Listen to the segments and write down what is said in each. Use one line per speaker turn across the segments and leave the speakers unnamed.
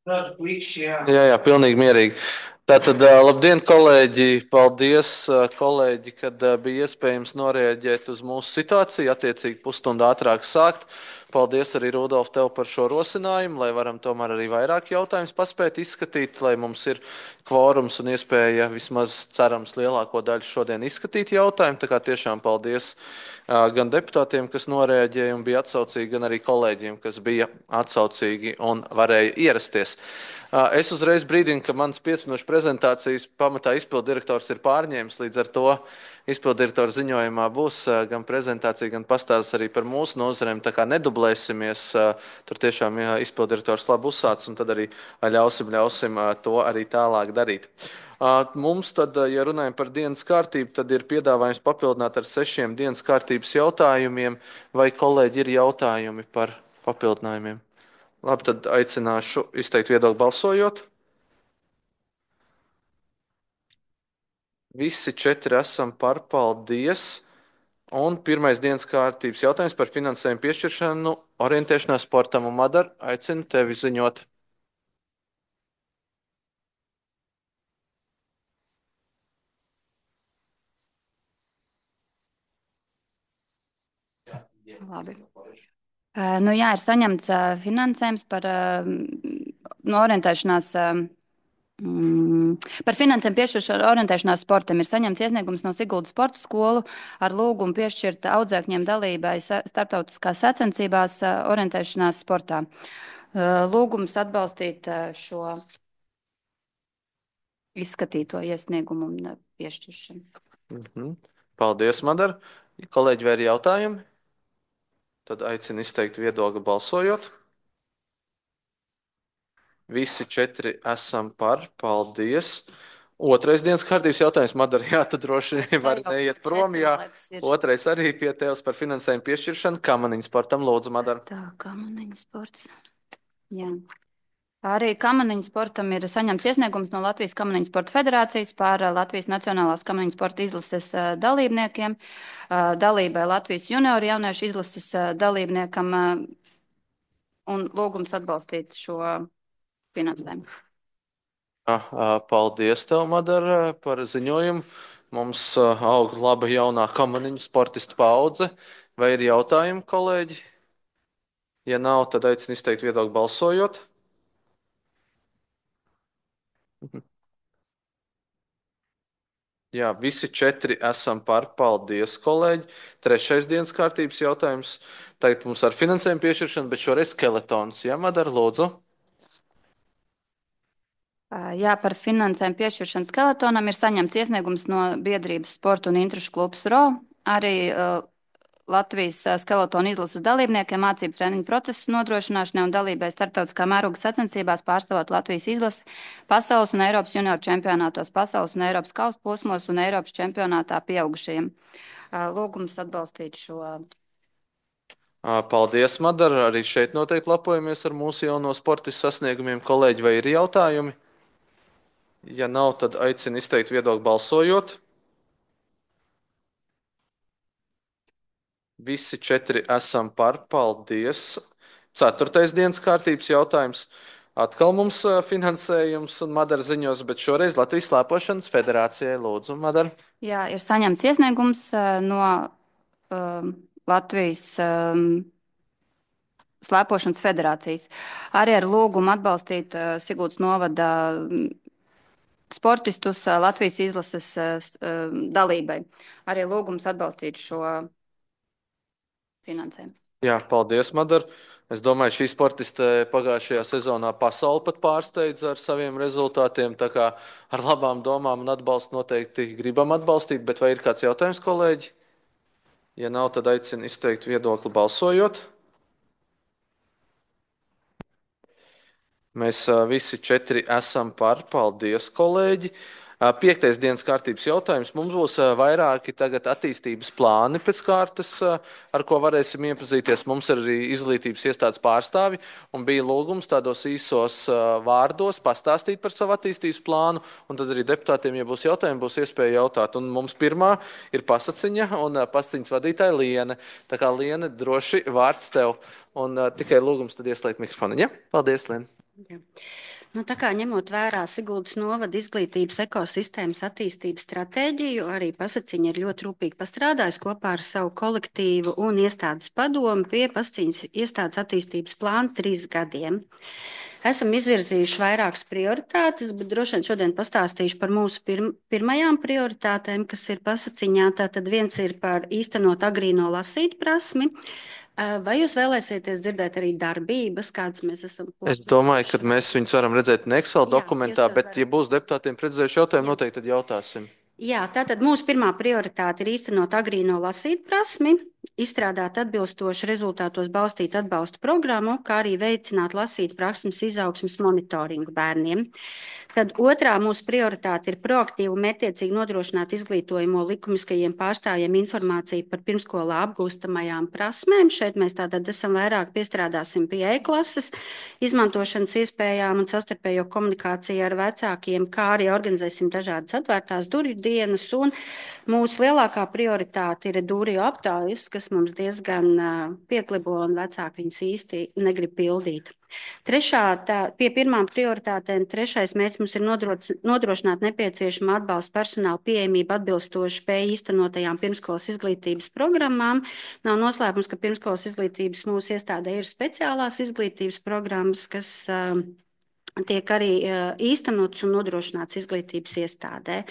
Jā, pilnīgi mierīgi. Tātad, labdien, kolēģi! Paldies, kolēģi, kad bija iespējams noreaģēt uz mūsu situāciju, attiecīgi pusstundu ātrāk sākt. Paldies arī, Rudolf, tev par šo rosinājumu, lai varam tomēr arī vairāk jautājumus paspēt izskatīt, lai mums ir kvorums un iespēja vismaz cerams lielāko daļu šodien izskatīt jautājumu. Tā kā tiešām paldies gan deputātiem, kas noreaģēja un bija atsaucīgi, gan arī kolēģiem, kas bija atsaucīgi un varēja ierasties. Es uzreiz brīdinu, ka mans 5 minūšu prezentācijas pamatā izpilddirektors ir pārņēmis. Līdz ar to izpilddirektora ziņojumā būs gan prezentācija, gan pastāsts arī par mūsu nozarēm. Tā kā nedublēsimies, tur tiešām izpilddirektors labi uzsācis, un tad arī ļausim to arī tālāk darīt. Mums tad, ja runājam par dienas kārtību, tad ir piedāvājums papildināt ar 6 dienas kārtības jautājumiem, vai kolēģi ir jautājumi par papildinājumiem? Labi, tad aicināšu izteikt viedokli balsojot. Visi 4 esam par, paldies. Un pirmais dienas kārtības jautājums par finansējumu piešķiršanu orientēšanās sportam. Un, Madar, aicinu tevi ziņot.
Labi. Nu, jā, ir saņemts finansējums par no orientēšanās. Par finansējumu piešķiršanu orientēšanās sportam ir saņemts iesniegums no Siguldas sporta skolu ar lūgumu piešķirt audzēkņiem dalībai starptautiskās sacensībās orientēšanās sportā. Lūgums atbalstīt šo izskatīto iesniegumu un piešķiršanu.
Paldies, Madar. Kolēģi, vai ir jautājumi? Tad aicinu izteikt viedokli balsojot. Visi 4 esam par, paldies. Otrais dienas kārtības jautājums, Madara, jā, tu droši var neiet prom, jā. Otrais arī pie tevis par finansējumu piešķiršanu. Kamaniņu sportam, lūdzu, Madara.
Tā, kamaniņu sports. Jā. Arī kamaniņu sportam ir saņemts iesniegums no Latvijas Kamaniņu sporta federācijas par Latvijas Nacionālās kamaniņu sporta izlases dalībniekiem, dalībai Latvijas junioru jauniešu izlases dalībniekam un lūgums atbalstīt šo finansējumu.
Paldies tev, Madara, par ziņojumu. Mums aug laba jaunā kamaniņu sportistu paudze. Vai ir jautājumi, kolēģi? Ja nav, tad aicinu izteikt viedokli balsojot. Jā, visi 4 esam par. Paldies, kolēģi. Trešais dienas kārtības jautājums. Tagad mums ar finansējumu piešķiršanu, bet šoreiz skeletons. Jā, Madara, lūdzu.
Jā, par finansējumu piešķiršanu skeletonam ir saņemts iesniegums no biedrības Sporta un interešu klubs RO. Arī Latvijas skeletonu izlases dalībniekiem mācību treniņu procesu nodrošināšanai un dalībai starptautiskā mēroga sacensībās pārstāvot Latvijas izlasi pasaules un Eiropas junioru čempionātos, pasaules un Eiropas kausa posmos un Eiropas čempionātā pieaugušajiem. Lūgums atbalstīt šo.
Paldies, Madara. Arī šeit noteikti lepojamies ar mūsu jauno sportistu sasniegumiem. Kolēģi, vai ir jautājumi? Ja nav, tad aicinu izteikt viedokli balsojot. Visi 4 esam par. Paldies. Ceturtais dienas kārtības jautājums. Atkal mums finansējums un Madara ziņos, bet šoreiz Latvijas slēpošanas federācijai. Lūdzu, Madara.
Jā, ir saņemts iesniegums no Latvijas slēpošanas federācijas. Arī ar lūgumu atbalstīt Siguldas novada sportistus Latvijas izlases dalībai. Arī lūgums atbalstīt šo finansējumu.
Jā, paldies, Madara. Es domāju, šī sportiste pagājušajā sezonā pasauli pat pārsteidza ar saviem rezultātiem. Tā kā ar labām domām un atbalstu noteikti gribam atbalstīt, bet vai ir kāds jautājums, kolēģi? Ja nav, tad aicinu izteikt viedokli balsojot. Mēs visi 4 esam par. Paldies, kolēģi! Piektais dienas kārtības jautājums. Mums būs vairāki tagad attīstības plāni pēc kārtas, ar ko varēsim iepazīties. Mums ir arī izglītības iestādes pārstāvi un bija lūgums tādos īsos vārdos pastāstīt par savu attīstības plānu, un tad arī deputātiem, ja būs jautājumi, būs iespēja jautāt. Un mums pirmā ir pasaciņa un pasaciņas vadītāja Liene. Tā kā Liene, droši vārds tev un tikai lūgums tad ieslēgt mikrofonu. Ja? Paldies, Liene!
Jā.
Nu, tā kā ņemot vērā Siguldas novada izglītības ekosistēmas attīstības stratēģiju, arī Pasaciņa ir ļoti rūpīgi pastrādājusi kopā ar savu kolektīvu un iestādes padomu pie Pasaciņas iestādes attīstības plāna 3 gadiem. Esam izvirzījuši vairākas prioritātes, bet droši vien šodien pastāstīšu par mūsu pirmajām prioritātēm, kas ir Pasaciņā. Tātad viens ir par īstenot agrīno lasīt prasmi. Vai jūs vēlēsieties dzirdēt arī darbības, kādas mēs esam
Es domāju, ka
plānojuši?
mēs viņus varam redzēt ne Excel
Jā,
dokumentā,
jūs to
bet,
varat.
ja būs deputātiem precizējuši jautājumu,
Jā.
noteikti tad jautāsim.
Jā, tātad mūsu pirmā prioritāte ir īstenot agrīno lasīt prasmi, izstrādāt atbilstoši rezultātos balstītu atbalsta programmu, kā arī veicināt lasīt prasmes izaugsmes monitoringu bērniem. Tad otrā mūsu prioritāte ir proaktīvi un mērķiecīgi nodrošināt izglītojumu likumiskajiem pārstāvjiem informāciju par pirmskolā apgūstamajām prasmēm. Šeit mēs tātad esam vairāk piestrādāsim pie e-klases izmantošanas iespējām un savstarpējo komunikāciju ar vecākiem, kā arī organizēsim dažādas atvērtās durvju dienas. Un mūsu lielākā prioritāte ir durvju aptaujas, kas mums diezgan pieklibo un vecāki viņas īsti negrib pildīt. Pie pirmām prioritātēm trešais mērķis mums ir nodrošināt nepieciešamo atbalstu personāla pieejamību atbilstoši spēju īstenotajām pirmskolas izglītības programmām. Nav noslēpums, ka pirmskolas izglītības mūsu iestādē ir speciālās izglītības programmas, kas tiek arī īstenotas un nodrošināts izglītības iestādē.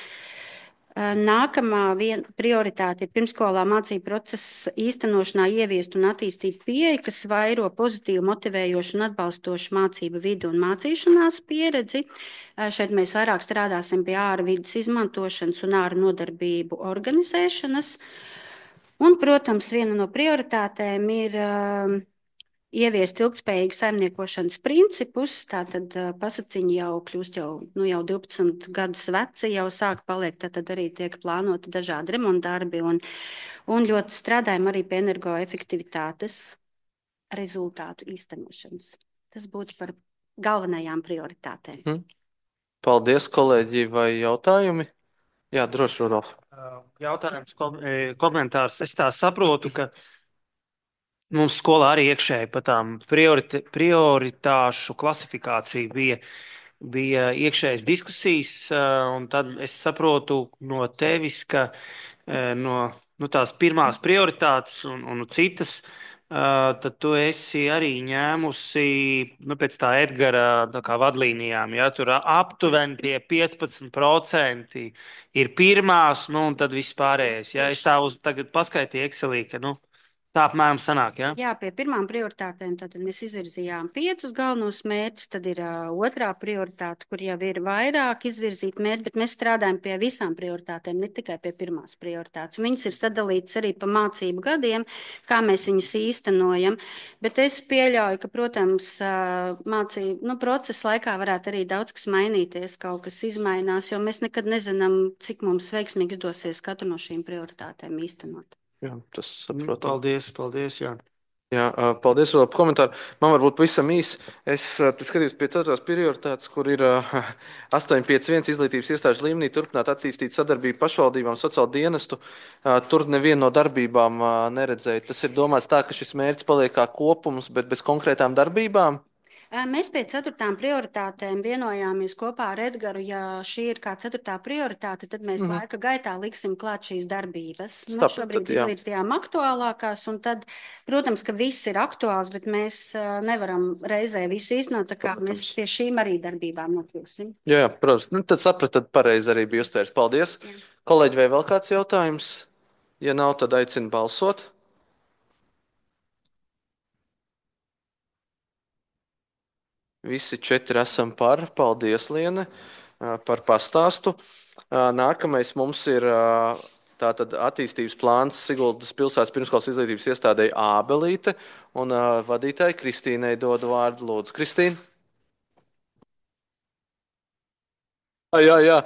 Nākamā prioritāte ir pirmskolā mācību procesa īstenošanā ieviest un attīstīt pieeju, kas vairo pozitīvu, motivējošu un atbalstošu mācību vidu un mācīšanās pieredzi. Šeit mēs vairāk strādāsim pie ārvides izmantošanas un ārnodarbību organizēšanas. Un, protams, viena no prioritātēm ir ieviest ilgspējīgu saimniekošanas principus. Tātad Pasaciņa jau kļūst jau 12 gadus veci, jau sāk palikt, tad arī tiek plānoti dažādi remontdarbi un ļoti strādājam arī pie energoefektivitātes rezultātu īstenošanas. Tas būtu par galvenajām prioritātēm.
Paldies, kolēģi, vai jautājumi? Jā, droši, Rudolf.
Jautājums, komentārs. Es tā saprotu, ka mums skolā arī iekšēji par tām prioritāšu klasifikāciju bija iekšējas diskusijas, un tad es saprotu no tevis, ka no tās pirmās prioritātes un citas, tad tu esi arī ņēmusi pēc tā Edgara tā kā vadlīnijām. Ja, tur aptuveni tie 15% ir pirmās, un tad viss pārējais. Ja, es tā tagad paskaitīju Excelī, ka tā apmēram sanāk, ja?
Jā, pie pirmām prioritātēm tad mēs izvirzījām 5 galvenos mērķus, tad ir otrā prioritāte, kur jau ir vairāk izvirzīt mērķi, bet mēs strādājam pie visām prioritātēm, ne tikai pie pirmās prioritātes. Viņas ir sadalītas arī pa mācību gadiem, kā mēs viņus īstenojam, bet es pieļauju, ka, protams, mācību procesa laikā varētu arī daudz kas mainīties, kaut kas izmainās, jo mēs nekad nezinām, cik mums veiksmīgi izdosies katru no šīm prioritātēm īstenot.
Jā, tas saprotam.
Paldies, jā.
Jā, paldies par komentāru. Man varbūt pavisam īsi. Es skatījos pie 4. prioritātes, kur ir 851 izglītības iestāžu līmenī turpināt attīstīt sadarbību pašvaldībām, sociālo dienestu. Tur nevienu no darbībām neredzēju. Tas ir domāts tā, ka šis mērķis paliek kā kopums, bet bez konkrētām darbībām.
Mēs pie 4. prioritātēm vienojāmies kopā ar Edgaru. Ja šī ir kā 4. prioritāte, tad mēs laika gaitā liksim klāt šīs darbības. Šobrīd izlīdzījām aktuālākās, un tad, protams, ka viss ir aktuāls, bet mēs nevaram reizē visu īstenot, tā kā mēs pie šīm arī darbībām nokļūsim.
Jā, protams. Tad sapratu, tad pareizi arī bija uztvērs. Paldies. Jā. Kolēģi, vai vēl kāds jautājums? Ja nav, tad aicinu balsot. Visi 4 esam par. Paldies, Liene, par pastāstu. Nākamais mums ir tātad attīstības plāns Siguldas pilsētas pirmskolas izglītības iestādēji Ābelīte, un vadītāji Kristīnai dodu vārdu. Lūdzu, Kristīna. Jā.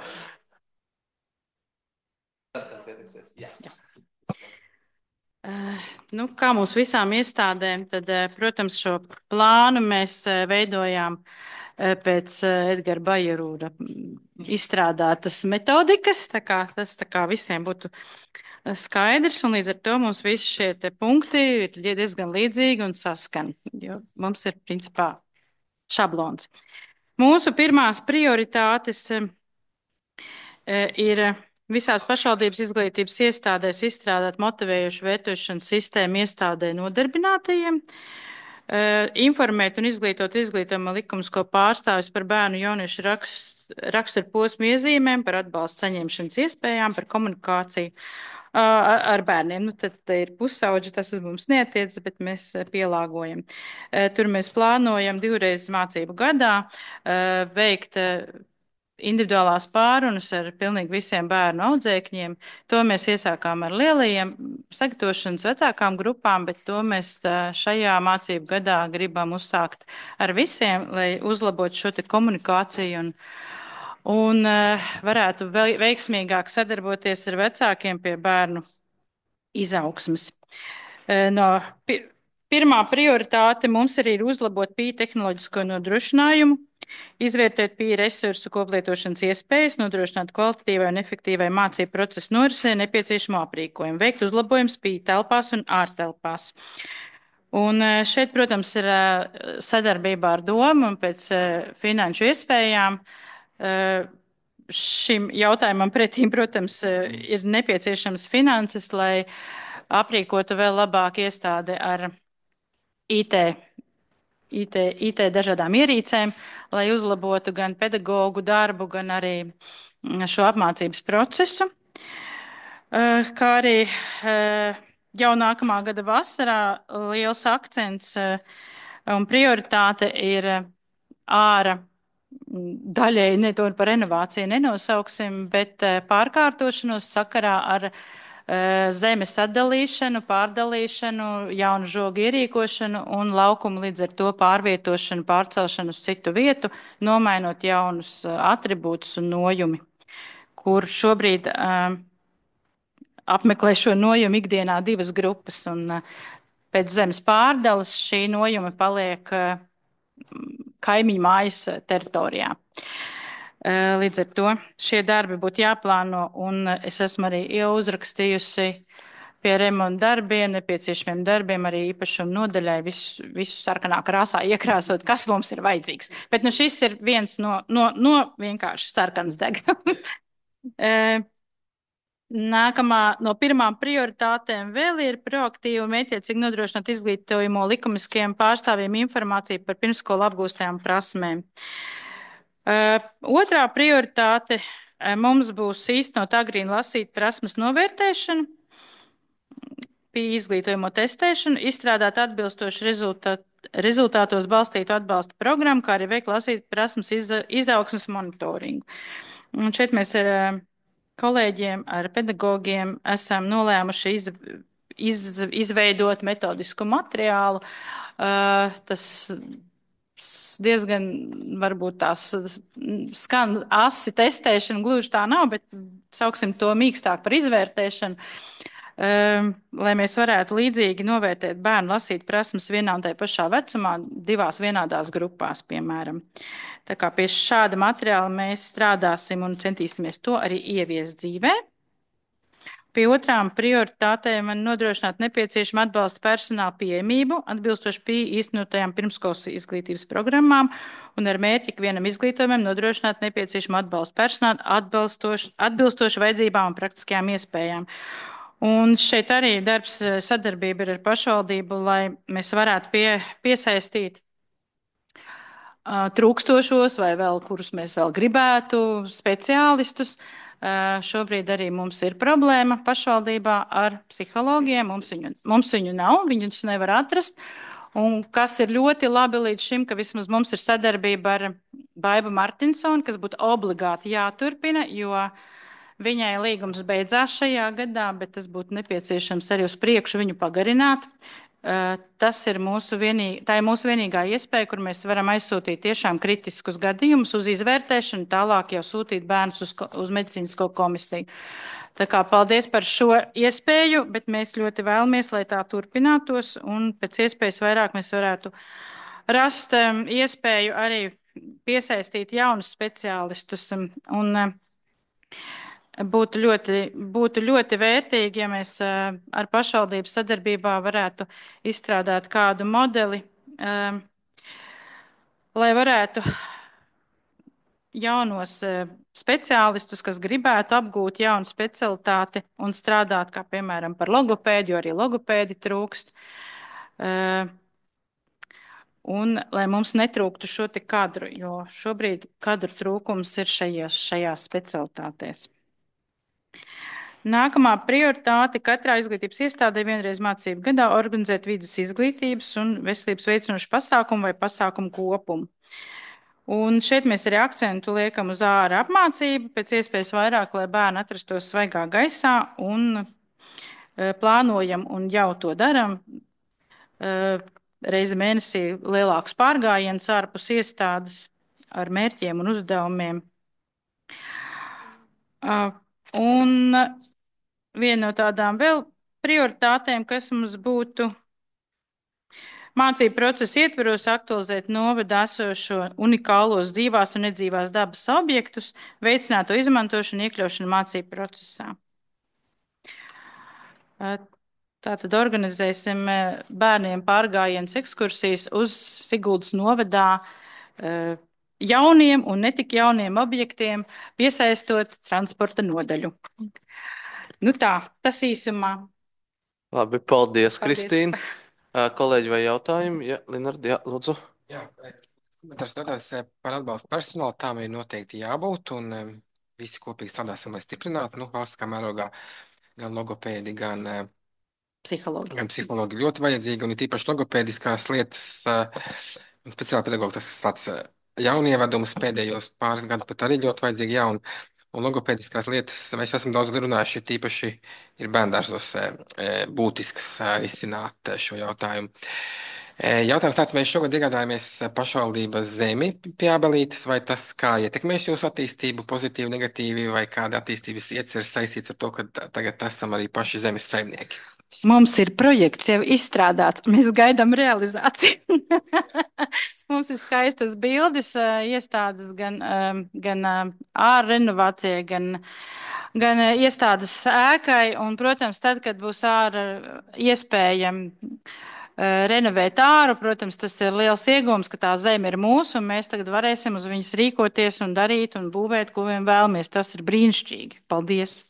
Kā mūsu visām iestādēm, tad, protams, šo plānu mēs veidojām pēc Edgara Bajerūra izstrādātas metodikas, tas visiem būtu skaidrs, un līdz ar to mums visi šie punkti ir diezgan līdzīgi un saskan, jo mums ir principā šablons. Mūsu pirmās prioritātes ir visās pašvaldības izglītības iestādēs izstrādāt motivējošu vērtēšanas sistēmu iestādē nodarbinātajiem, informēt un izglītot izglītojuma likumisko pārstāvis par bērnu jauniešu raksturu posmu iezīmēm, par atbalstu saņemšanas iespējām, par komunikāciju ar bērniem. Nu, tad ir pusauģi, tas uz mums neatiecas, bet mēs pielāgojam. Tur mēs plānojam 2 reizes mācību gadā veikt individuālās pārunas ar pilnīgi visiem bērnu audzēkņiem. To mēs iesākām ar lielajiem sagatavošanas vecākām grupām, bet to mēs šajā mācību gadā gribam uzsākt ar visiem, lai uzlabotu šo te komunikāciju un varētu veiksmīgāk sadarboties ar vecākiem pie bērnu izaugsmes. Pirmā prioritāte mums arī ir uzlabot PIE tehnoloģisko nodrošinājumu, izvērtēt PIE resursu koplietošanas iespējas, nodrošināt kvalitatīvai un efektīvai mācību procesu norisē nepieciešamo aprīkojumu, veikt uzlabojumus PIE telpās un ārtelpās. Un šeit, protams, ir sadarbībā ar domu un pēc finanšu iespējām. Šim jautājumam pretīm, protams, ir nepieciešams finanses, lai aprīkotu vēl labāk iestādi ar IT dažādām ierīcēm, lai uzlabotu gan pedagoģu darbu, gan arī šo apmācības procesu. Kā arī jau nākamā gada vasarā liels akcents un prioritāte ir āra daļēji, ne to par renovāciju nenosauksim, bet pārkārtošanos sakarā ar zemes atdalīšanu, pārdalīšanu, jaunu žogu ierīkošanu un laukumu līdz ar to pārvietošanu, pārcelšanu uz citu vietu, nomainot jaunus atribūtus un nojumi, kur šobrīd apmeklē šo nojumu ikdienā 2 grupas, un pēc zemes pārdales šī nojuma paliek kaimiņu mājas teritorijā. Līdz ar to šie darbi būtu jāplāno, un es esmu arī jau uzrakstījusi pie remonta darbiem, nepieciešamiem darbiem, arī īpašumu nodaļai visu sarkanā krāsā iekrāsot, kas mums ir vajadzīgs. Bet nu šis ir viens no vienkārši sarkans degam. Nākamā no pirmām prioritātēm vēl ir proaktīvi un mētiecīgi nodrošināt izglītojumu likumiskajiem pārstāvjiem informāciju par pirmsskolu apgūstajām prasmēm. Otrā prioritāte mums būs īstenot agrīnu lasīt prasmes novērtēšanu, PIE izglītojumu testēšanu, izstrādāt atbilstoši rezultātos balstītu atbalsta programmu, kā arī veikt lasīt prasmes izaugsmes monitoringu. Un šeit mēs ar kolēģiem, ar pedagogiem esam nolēmuši izveidot metodisku materiālu. Tas diezgan varbūt tās skan asi testēšana, gluži tā nav, bet sauksim to mīkstāk par izvērtēšanu, lai mēs varētu līdzīgi novērtēt bērnu lasīt prasmes vienā un tajā pašā vecumā, 2 vienādās grupās, piemēram. Tā kā pie šāda materiāla mēs strādāsim un centīsimies to arī ieviest dzīvē. Pie otrām prioritātēm man nodrošināt nepieciešamu atbalsta personāla pieejamību, atbilstoši PIE īstenotajām pirmskolas izglītības programmām un ar mērķi ikvienam izglītojumam nodrošināt nepieciešamu atbalsta personālu atbilstoši vajadzībām un praktiskajām iespējām. Un šeit arī darbs sadarbība ir ar pašvaldību, lai mēs varētu piesaistīt trūkstošos vai vēl, kurus mēs vēl gribētu, speciālistus. Šobrīd arī mums ir problēma pašvaldībā ar psihologiem. Mums viņu nav, viņus nevar atrast. Un kas ir ļoti labi līdz šim, ka vismaz mums ir sadarbība ar Baibu Martinsonu, kas būtu obligāti jāturpina, jo viņai līgums beidzās šajā gadā, bet tas būtu nepieciešams arī uz priekšu viņu pagarināt. Tas ir mūsu vienīgā iespēja, kur mēs varam aizsūtīt tiešām kritiskus gadījumus uz izvērtēšanu, tālāk jau sūtīt bērnus uz medicīnisko komisiju. Tā kā paldies par šo iespēju, bet mēs ļoti vēlamies, lai tā turpinātos un pēc iespējas vairāk mēs varētu rast iespēju arī piesaistīt jaunus speciālistus un būtu ļoti vērtīgi, ja mēs ar pašvaldību sadarbībā varētu izstrādāt kādu modeli, lai varētu jaunos speciālistus, kas gribētu apgūt jaunu specialitāti un strādāt, kā piemēram par logopēdu, jo arī logopēdi trūkst. Un lai mums netrūktu šo te kadru, jo šobrīd kadru trūkums ir šajās specialitātēs. Nākamā prioritāte katrā izglītības iestādē vienreiz mācību gadā organizēt vidas izglītības un veselības veicinošu pasākumu vai pasākumu kopumu. Un šeit mēs arī akcentu liekam uz ārā apmācību, pēc iespējas vairāk, lai bērni atrastos svaigā gaisā un plānojam un jau to daram. Reizi mēnesī lielākus pārgājienus ārpus iestādes ar mērķiem un uzdevumiem. Un viena no tādām vēl prioritātēm, kas mums būtu mācību procesa ietveros aktualizēt novadā esošo unikālos dzīvās un nedzīvās dabas objektus, veicināt to izmantošanu, iekļaušanu mācību procesā. Tātad organizēsim bērniem pārgājienus ekskursijas uz Siguldas novadā jauniem un netik jauniem objektiem, piesaistot transporta nodaļu. Nu tā, tas īsumā.
Labi, paldies. Kristīna. Kolēģi vai jautājumi? Jā, Linardi, jā, lūdzu.
Jā, komentārs tādās par atbalstu personālu, tām ir noteikti jābūt, un visi kopīgi strādāsim, lai stiprinātu, valsts kā mērogā gan logopēdi, gan psihologi ļoti vajadzīgi, un ir tīpaši logopēdiskās lietas, speciāli pedagogi, tas tāds jaunievedums pēdējos pāris gadu pat arī ļoti vajadzīgi jauni. Un logopēdiskās lietas, mēs esam daudz runājuši, tīpaši ir bērndārzos būtisks risināt šo jautājumu. Jautājums tāds, mēs šogad iegādājāmies pašvaldības zemi pie Ābelītes, vai tas kā ietekmēs jūsu attīstību, pozitīvi, negatīvi, vai kāda attīstības ieceres saistīts ar to, ka tagad esam arī paši zemes saimnieki?
Mums ir projekts jau izstrādāts, mēs gaidām realizāciju. Mums ir skaistas bildes, iestādes gan ārrenovācijai, gan iestādes ēkai. Un, protams, tad, kad būs ārā iespējami renovēt āru, protams, tas ir liels iegūms, ka tā zeme ir mūsu, un mēs tagad varēsim uz viņas rīkoties un darīt un būvēt, ko vien vēlamies. Tas ir brīnišķīgi. Paldies!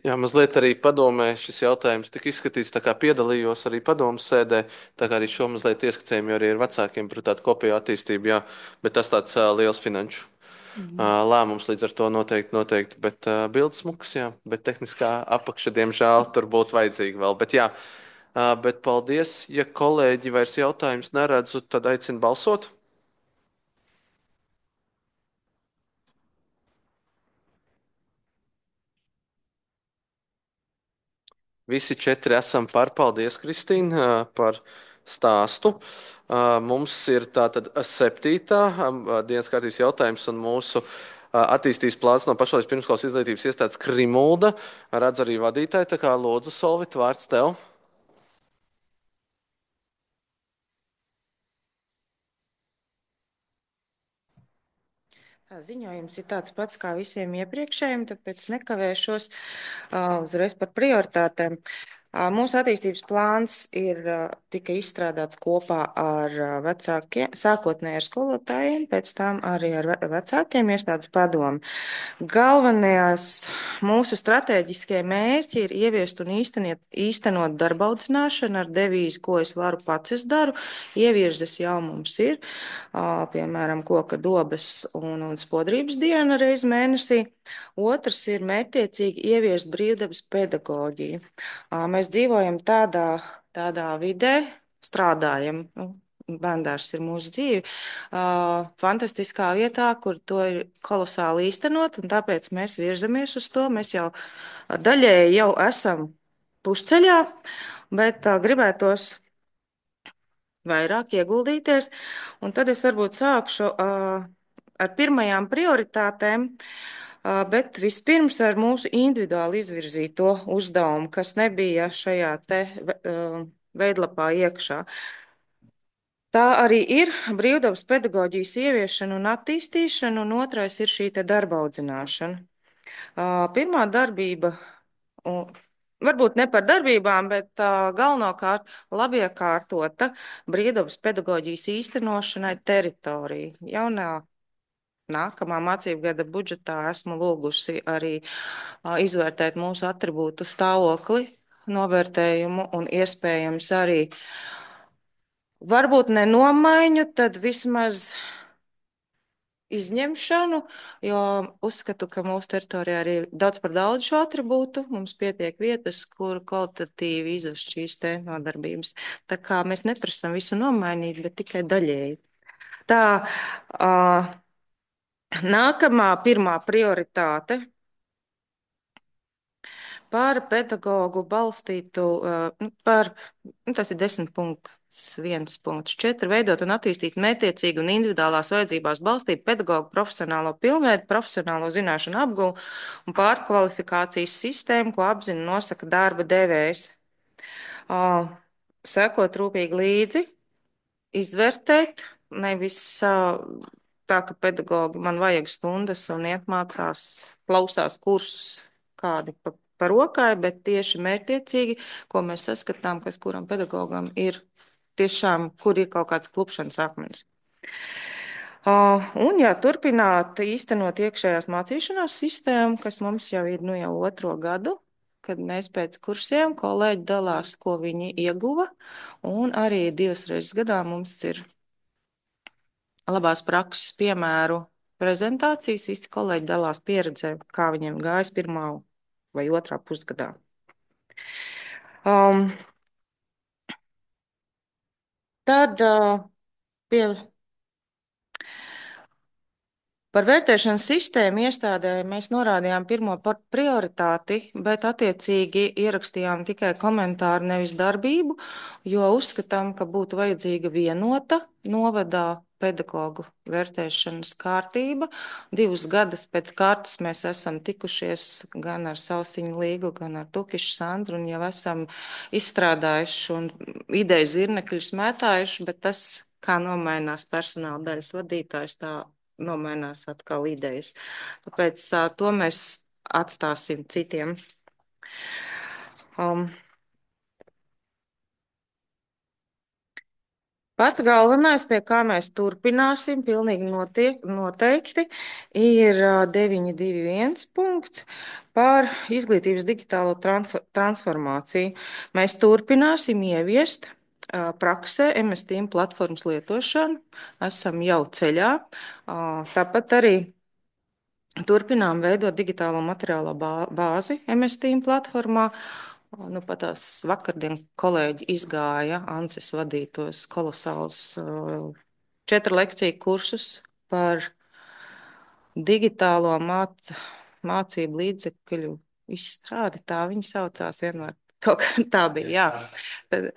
Jā, mazliet arī padomē šis jautājums tika izskatīts, tā kā piedalījos arī padomas sēdē, tā kā arī šo mazliet ieskicējumi arī ar vecākiem par tādu kopēju attīstību, jā, bet tas tāds liels finanšu lēmums līdz ar to noteikti, bet bildes smukas, jā, bet tehniskā apakša, diemžēl, tur būtu vajadzīga vēl, bet jā, bet paldies, ja kolēģi vairs jautājums neredzu, tad aicinu balsot. Visi četri esam par. Paldies, Kristīna, par stāstu. Mums ir tātad 7. dienas kārtības jautājums un mūsu attīstības plāns no pašvaldības pirmskolas izglītības iestādes Krimulda. Redz arī vadītāji, tā kā lūdzu, Solvit, vārds tev.
Ziņojums ir tāds pats kā visiem iepriekšējiem, tāpēc nekavēšos uzreiz par prioritātēm. Mūsu attīstības plāns tika izstrādāts kopā ar vecākiem, sākotnēji ar skolotājiem, pēc tam arī ar vecākiem iestādes padomu. Galvenajās mūsu strateģiskie mērķi ir ieviest un īstenot darba audzināšanu ar devīzi, ko es varu pats es daru. Ievirzes jau mums ir, piemēram, koka dobes un spodrības diena reiz mēnesī. Otrs ir mērķtiecīgi ieviest brīvdabas pedagoģiju. Mēs dzīvojam tādā vidē, strādājam. Bērndārs ir mūsu dzīve. Fantastiskā vietā, kur to ir kolosāli īstenot, un tāpēc mēs virzamies uz to. Mēs jau daļēji jau esam pusceļā, bet gribētos vairāk ieguldīties. Un tad es varbūt sākšu ar pirmajām prioritātēm. Bet vispirms ar mūsu individuāli izvirzīto uzdevumu, kas nebija šajā te veidlapā iekšā. Tā arī ir brīvdabas pedagoģijas ieviešana un attīstīšana, un otrais ir šī te darba audzināšana. Pirmā darbība, varbūt ne par darbībām, bet galvenokārt labiekārtota brīvdabas pedagoģijas īstenošanai teritorija. Jaunā nākamā mācību gada budžetā esmu lūgusi arī izvērtēt mūsu atribūtu stāvokli, novērtējumu un iespējams arī varbūt ne nomaiņu, tad vismaz izņemšanu, jo uzskatu, ka mūsu teritorijā arī ir daudz par daudz šo atribūtu. Mums pietiek vietas, kur kvalitatīvi izvest šīs te nodarbības. Tā kā mēs neprasam visu nomainīt, bet tikai daļēji. Tā, nākamā pirmā prioritāte par pedagogu balstītu, tas ir 10.1.4, veidot un attīstīt mērķtiecīgu un individuālās vajadzībās balstītu pedagogu profesionālo pilnveidu, profesionālo zināšanu apguvu un pārkvalifikācijas sistēmu, ko apzina un nosaka darba devējs. Sekot rūpīgi līdzi, izvērtēt, nevis tā, ka pedagogi man vajag stundas un iet mācās, klausās kursus kādi pa rokai, bet tieši mērķtiecīgi, ko mēs saskatām, kas kuram pedagogam ir tiešām, kur ir kaut kāds klupšanas akmens. Un, ja turpināt īstenot iekšējās mācīšanās sistēmu, kas mums jau ir jau 2. gadu, kad mēs pēc kursiem kolēģi dalās, ko viņi ieguva, un arī 2 reizes gadā mums ir labās prakses piemēru prezentācijas, visi kolēģi dalās pieredzē, kā viņiem gājas 1. vai 2. pusgadā. Tad par vērtēšanas sistēmu iestādē mēs norādījām pirmo prioritāti, bet attiecīgi ierakstījām tikai komentāru, nevis darbību, jo uzskatām, ka būtu vajadzīga vienota novadā pedagogu vērtēšanas kārtība. 2 gadus pēc kārtas mēs esam tikušies gan ar Sausiņu Līgu, gan ar Tukišu Sandru, un jau esam izstrādājuši un ideju zirnekļus mētājuši, bet tas, kā nomainās personāla daļas vadītājs, tā nomainās atkal idejas. Tāpēc to mēs atstāsim citiem. Pats galvenais, pie kā mēs turpināsim, pilnīgi noteikti, ir 9.2.1 punkts par izglītības digitālo transformāciju. Mēs turpināsim ieviest praksē MS Team platformas lietošanu. Esam jau ceļā. Tāpat arī turpinām veidot digitālo materiālo bāzi MS Team platformā. Nu, pat tās vakardien kolēģi izgāja Ances vadītos kolosāls 4 lekciju kursus par digitālo mācību līdzekļu izstrādi. Tā viņi saucās vienmēr. Kaut kā tā bija, jā. Tad,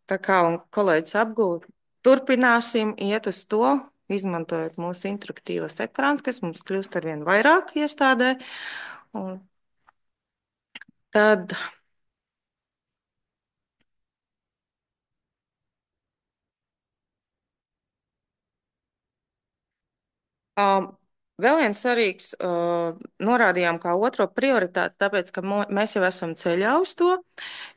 tā kā kolēģis apgūta, turpināsim iet uz to, izmantojot mūsu interaktīvos ekrāns, kas mums kļūst arvien vairāk iestādē. Un tad vēl viens svarīgs norādījām kā otro prioritāti, tāpēc, ka mēs jau esam ceļā uz to,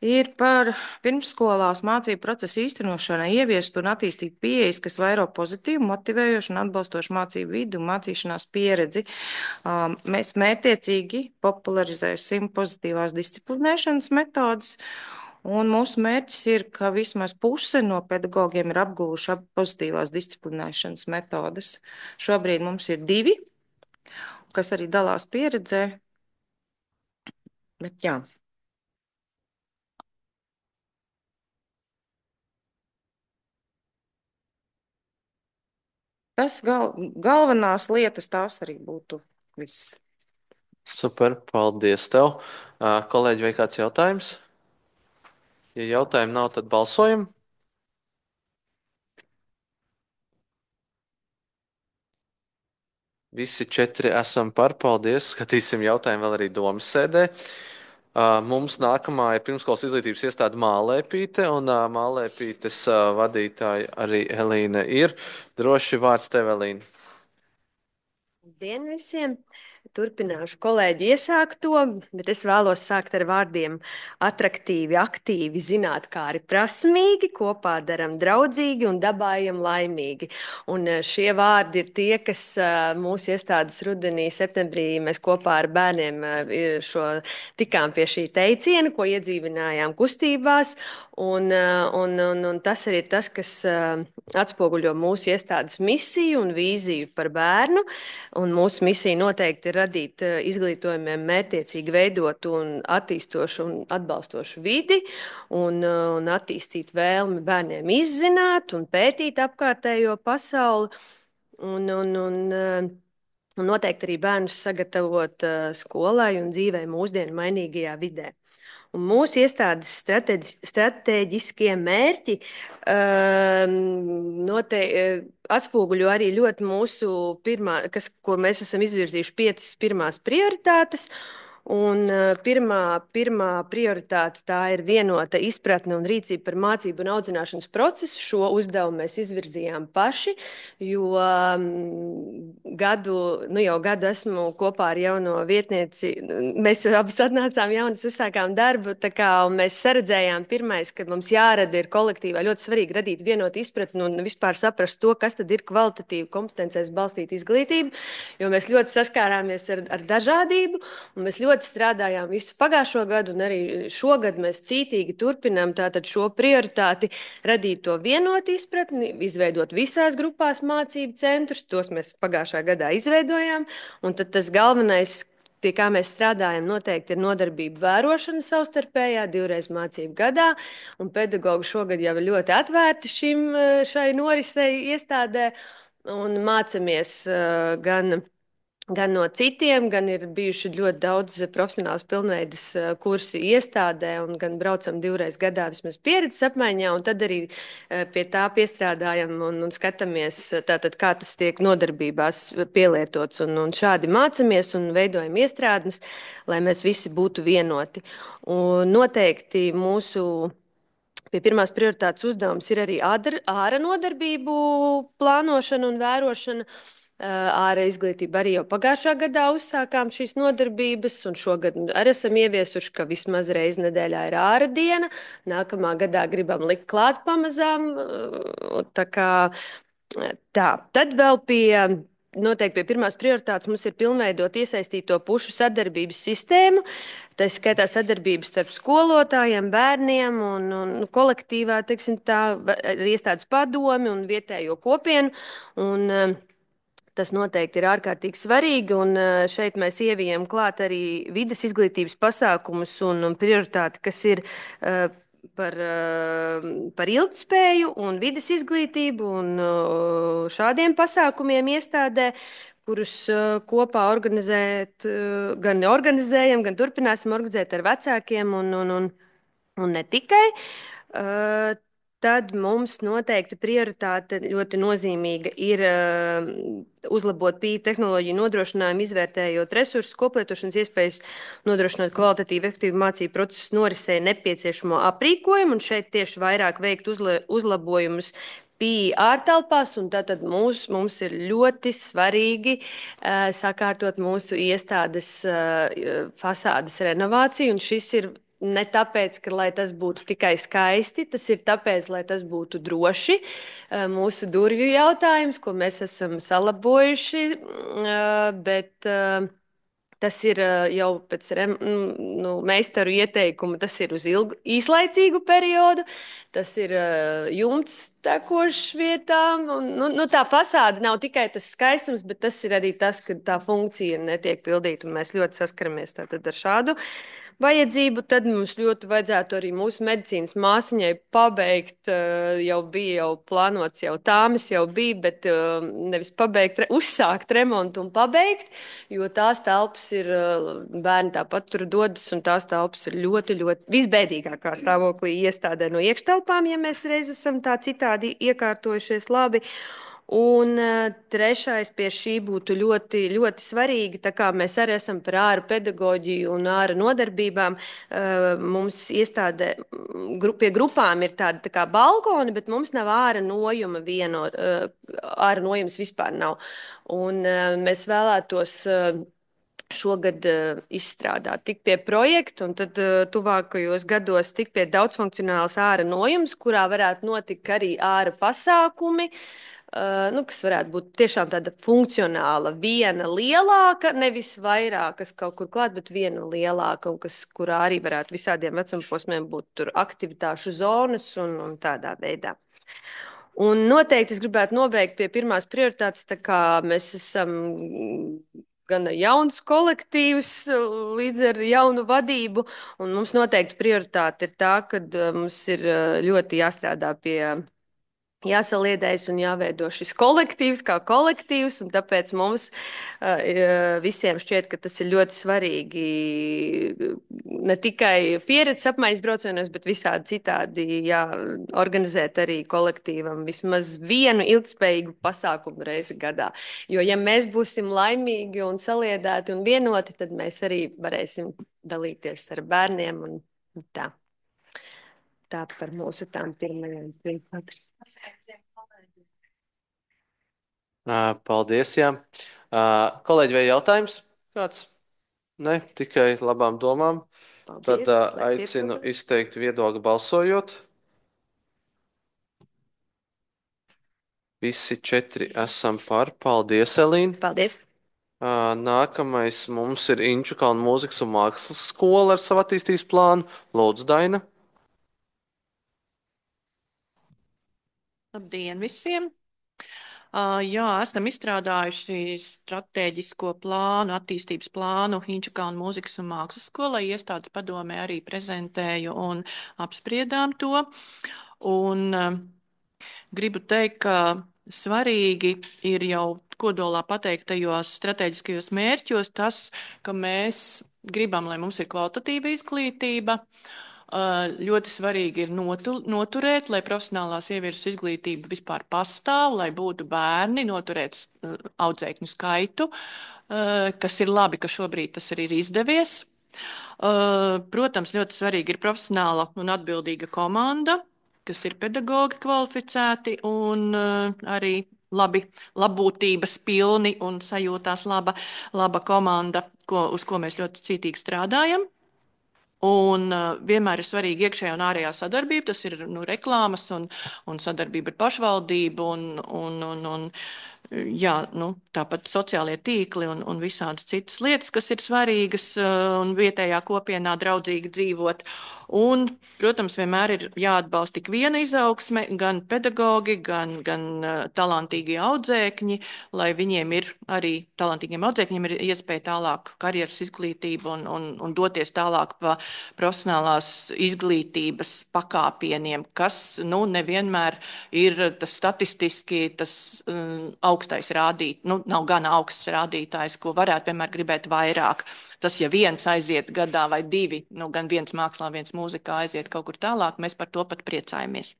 ir par pirmsskolās mācību procesu īstenošanai ieviest un attīstīt pieejas, kas vairo pozitīvu, motivējošu un atbalstošu mācību vidu un mācīšanās pieredzi. Mēs mērķtiecīgi popularizēsim pozitīvās disciplinēšanas metodas. Un mūsu mērķis ir, ka vismaz puse no pedagogiem ir apguvuši pozitīvās disciplinēšanas metodas. Šobrīd mums ir 2, kas arī dalās pieredzē. Bet jā. Tas galvenās lietas tās arī būtu viss.
Super, paldies tev. Kolēģi, vai kāds jautājums? Ja jautājumu nav, tad balsojam. Visi 4 esam par, paldies. Skatīsim jautājumu vēl arī domas sēdē. Mums nākamā ir pirmskolas izglītības iestāde Mālēpīte, un Mālēpītes vadītāja arī Elīne ir. Droši vārds tev, Elīne.
Labdien visiem! turpināšu kolēģi iesākto, bet es vēlos sākt ar vārdiem atraktīvi, aktīvi, zinātkāri, prasmīgi, kopā daram draudzīgi un dabājam laimīgi. Un šie vārdi ir tie, kas mūsu iestādes rudenī, septembrī mēs kopā ar bērniem tikām pie šī teiciena, ko iedzīvinājām kustībās. Un tas arī ir tas, kas atspoguļo mūsu iestādes misiju un vīziju par bērnu. Un mūsu misija noteikti ir radīt izglītojumiem mērķtiecīgi veidotu un attīstošu un atbalstošu vidi un attīstīt vēlmi bērniem izzināt un pētīt apkārtējo pasauli un noteikti arī bērnus sagatavot skolai un dzīvē mūsdienu mainīgajā vidē. Un mūsu iestādes stratēģiskie mērķi atspoguļo arī ļoti mūsu ko mēs esam izvirzījuši 5 pirmās prioritātes. Un pirmā prioritāte tā ir vienota izpratne un rīcība par mācību un audzināšanas procesu. Šo uzdevumu mēs izvirzījām paši, jo jau gadu esmu kopā ar jauno vietnieci. Mēs abas atnācām jaunas, uzsākām darbu, un mēs saredzējām pirmais, kad mums jārada ir kolektīvā ļoti svarīgi radīt vienotu izpratni un vispār saprast to, kas tad ir kvalitatīva kompetencēs balstīta izglītība, jo mēs ļoti saskārāmies ar dažādību, un mēs ļoti strādājām visu pagājušo gadu, un arī šogad mēs cītīgi turpinām tātad šo prioritāti radīt to vienotu izpratni, izveidot visās grupās mācību centrus, tos mēs pagājušā gadā izveidojām, un tad tas galvenais, pie kā mēs strādājam, noteikti ir nodarbība vērošana savstarpējā, 2 reizes mācību gadā, un pedagogi šogad jau ir ļoti atvērti šai norisei iestādē, un mācamies gan no citiem, gan ir bijuši ļoti daudz profesionāls pilnveidas kursi iestādē, un gan braucam 2 reizes gadā vismaz pieredzes apmaiņā, un tad arī pie tā piestrādājam un skatāmies, tātad, kā tas tiek nodarbībās pielietots, un šādi mācamies un veidojam iestrādnes, lai mēs visi būtu vienoti. Un noteikti pie pirmās prioritātes uzdevums ir arī āra nodarbību plānošana un vērošana. Āra izglītība arī jau pagājušā gadā uzsākām šīs nodarbības, un šogad arī esam ieviesuši, ka vismaz reizi nedēļā ir āra diena. Nākamā gadā gribam likt klāt pamazām. Tad vēl noteikti pie pirmās prioritātes mums ir pilnveidot iesaistīto pušu sadarbības sistēmu. Tā skaitā sadarbības starp skolotājiem, bērniem un kolektīvā, teiksim tā, iestādes padomi un vietējo kopienu. Tas noteikti ir ārkārtīgi svarīgi, un šeit mēs ievijam klāt arī vides izglītības pasākumus un prioritāti, kas ir par ilgtspēju un vides izglītību un šādiem pasākumiem iestādē, kurus kopā gan organizējam, gan turpināsim organizēt ar vecākiem un ne tikai. Tad mums noteikti prioritāte ļoti nozīmīga ir uzlabot pieeju tehnoloģiju nodrošinājumu, izvērtējot resursus, koplietošanas iespējas, nodrošinot kvalitatīvu, efektīvu mācību procesu norisē nepieciešamo aprīkojumu, un šeit tieši vairāk veikt uzlabojumus pieeja ārtelpās, un tātad mums ir ļoti svarīgi sakārtot mūsu iestādes fasādes renovāciju, un šis ir ne tāpēc, lai tas būtu tikai skaisti, tas ir tāpēc, lai tas būtu droši. Mūsu durvju jautājums, ko mēs esam salabojuši, bet tas ir jau pēc meistaru ieteikuma, tas ir uz īslaicīgu periodu, tas ir jumts tekošs vietām. Tā fasāde nav tikai tas skaistums, bet tas ir arī tas, ka tā funkcija netiek pildīta, un mēs ļoti saskaramies tātad ar šādu vajadzību. Tad mums ļoti vajadzētu arī mūsu medicīnas māsiņai pabeigt, jau plānots, jau tāmas jau bija, bet nevis pabeigt, uzsākt remontu un pabeigt, jo tās telpas ir, bērni tāpat tur dodas, un tās telpas ir ļoti, ļoti visbēdīgākā stāvoklī iestādē no iekštelpām, ja mēs reiz esam tā citādi iekārtojušies labi. Un trešais pie šī būtu ļoti, ļoti svarīgi, tā kā mēs arī esam par āra pedagoģiju un āra nodarbībām. Mums iestādē pie grupām ir tādi tā kā balkoni, bet mums nav āra nojuma āra nojums vispār nav. Un mēs vēlētos šogad izstrādāt, tik pie projekta, un tad tuvākajos gados tik pie daudzfunkcionālas āra nojums, kurā varētu notikt arī āra pasākumi, kas varētu būt tiešām tāda funkcionāla, viena lielāka, nevis vairākas kaut kur klāt, bet viena lielāka, un kurā arī varētu visādiem vecumposmiem būt tur aktivitāšu zonas un tādā veidā. Un noteikti es gribētu nobeigt pie pirmās prioritātes, tā kā mēs esam gan jauns kolektīvs, līdz ar jaunu vadību, un mums noteikti prioritāte ir tā, ka mums ir ļoti jāstrādā pie jāsaliedējas un jāveido šis kolektīvs kā kolektīvs, un tāpēc mums visiem šķiet, ka tas ir ļoti svarīgi ne tikai pieredzes apmaiņas braucienos, bet visādi citādi organizēt arī kolektīvam vismaz vienu ilgspējīgu pasākumu reizi gadā. Jo ja mēs būsim laimīgi un saliedēti un vienoti, tad mēs arī varēsim dalīties ar bērniem un tā. Tā par mūsu tām pirmajām prioritātēm.
Paldies, jā. Kolēģi, vai jautājums kāds? Ne, tikai labām domām.
Paldies,
Tad aicinu izteikt viedokli balsojot. Visi 4 esam par. Paldies, Elīna.
Paldies.
Nākamais mums ir Inčukalna mūzikas un mākslas skola ar savu attīstības plānu. Lūdzu, Daina.
Labdien visiem! Jā, esam izstrādājuši stratēģisko plānu, attīstības plānu Inčukalna mūzikas un mākslas skolai. Iestādes padomē arī prezentēju un apspriedām to. Un gribu teikt, ka svarīgi ir jau kodolā pateiktajos stratēģiskajos mērķos tas, ka mēs gribam, lai mums ir kvalitatīva izglītība. Ļoti svarīgi ir noturēt, lai profesionālās ievirzes izglītība vispār pastāv, lai būtu bērni, noturēt audzēkņu skaitu, kas ir labi, ka šobrīd tas arī ir izdevies. Protams, ļoti svarīgi ir profesionāla un atbildīga komanda, kas ir pedagogi kvalificēti un arī labbūtības pilni un sajūtās laba komanda, uz ko mēs ļoti cītīgi strādājam. Un vienmēr ir svarīga iekšējā un ārējā sadarbība. Tas ir reklāmas un sadarbība ar pašvaldību un tāpat sociālie tīkli un visādas citas lietas, kas ir svarīgas un vietējā kopienā draudzīgi dzīvot. Un, protams, vienmēr ir jāatbalsta tik viena izaugsme, gan pedagogi, gan talantīgie audzēkņi, lai viņiem ir arī talantīgiem audzēkņiem ir iespēja tālāk karjeras izglītību un doties tālāk pa profesionālās izglītības pakāpieniem, kas nevienmēr ir tas statistiski tas augstais rādītājs, nav gana augsts rādītājs, ko varētu vienmēr gribēt vairāk. Tas, ja viens aiziet gadā vai 2, gan viens mākslā, viens mūzikā aiziet kaut kur tālāk, mēs par to pat priecājamies.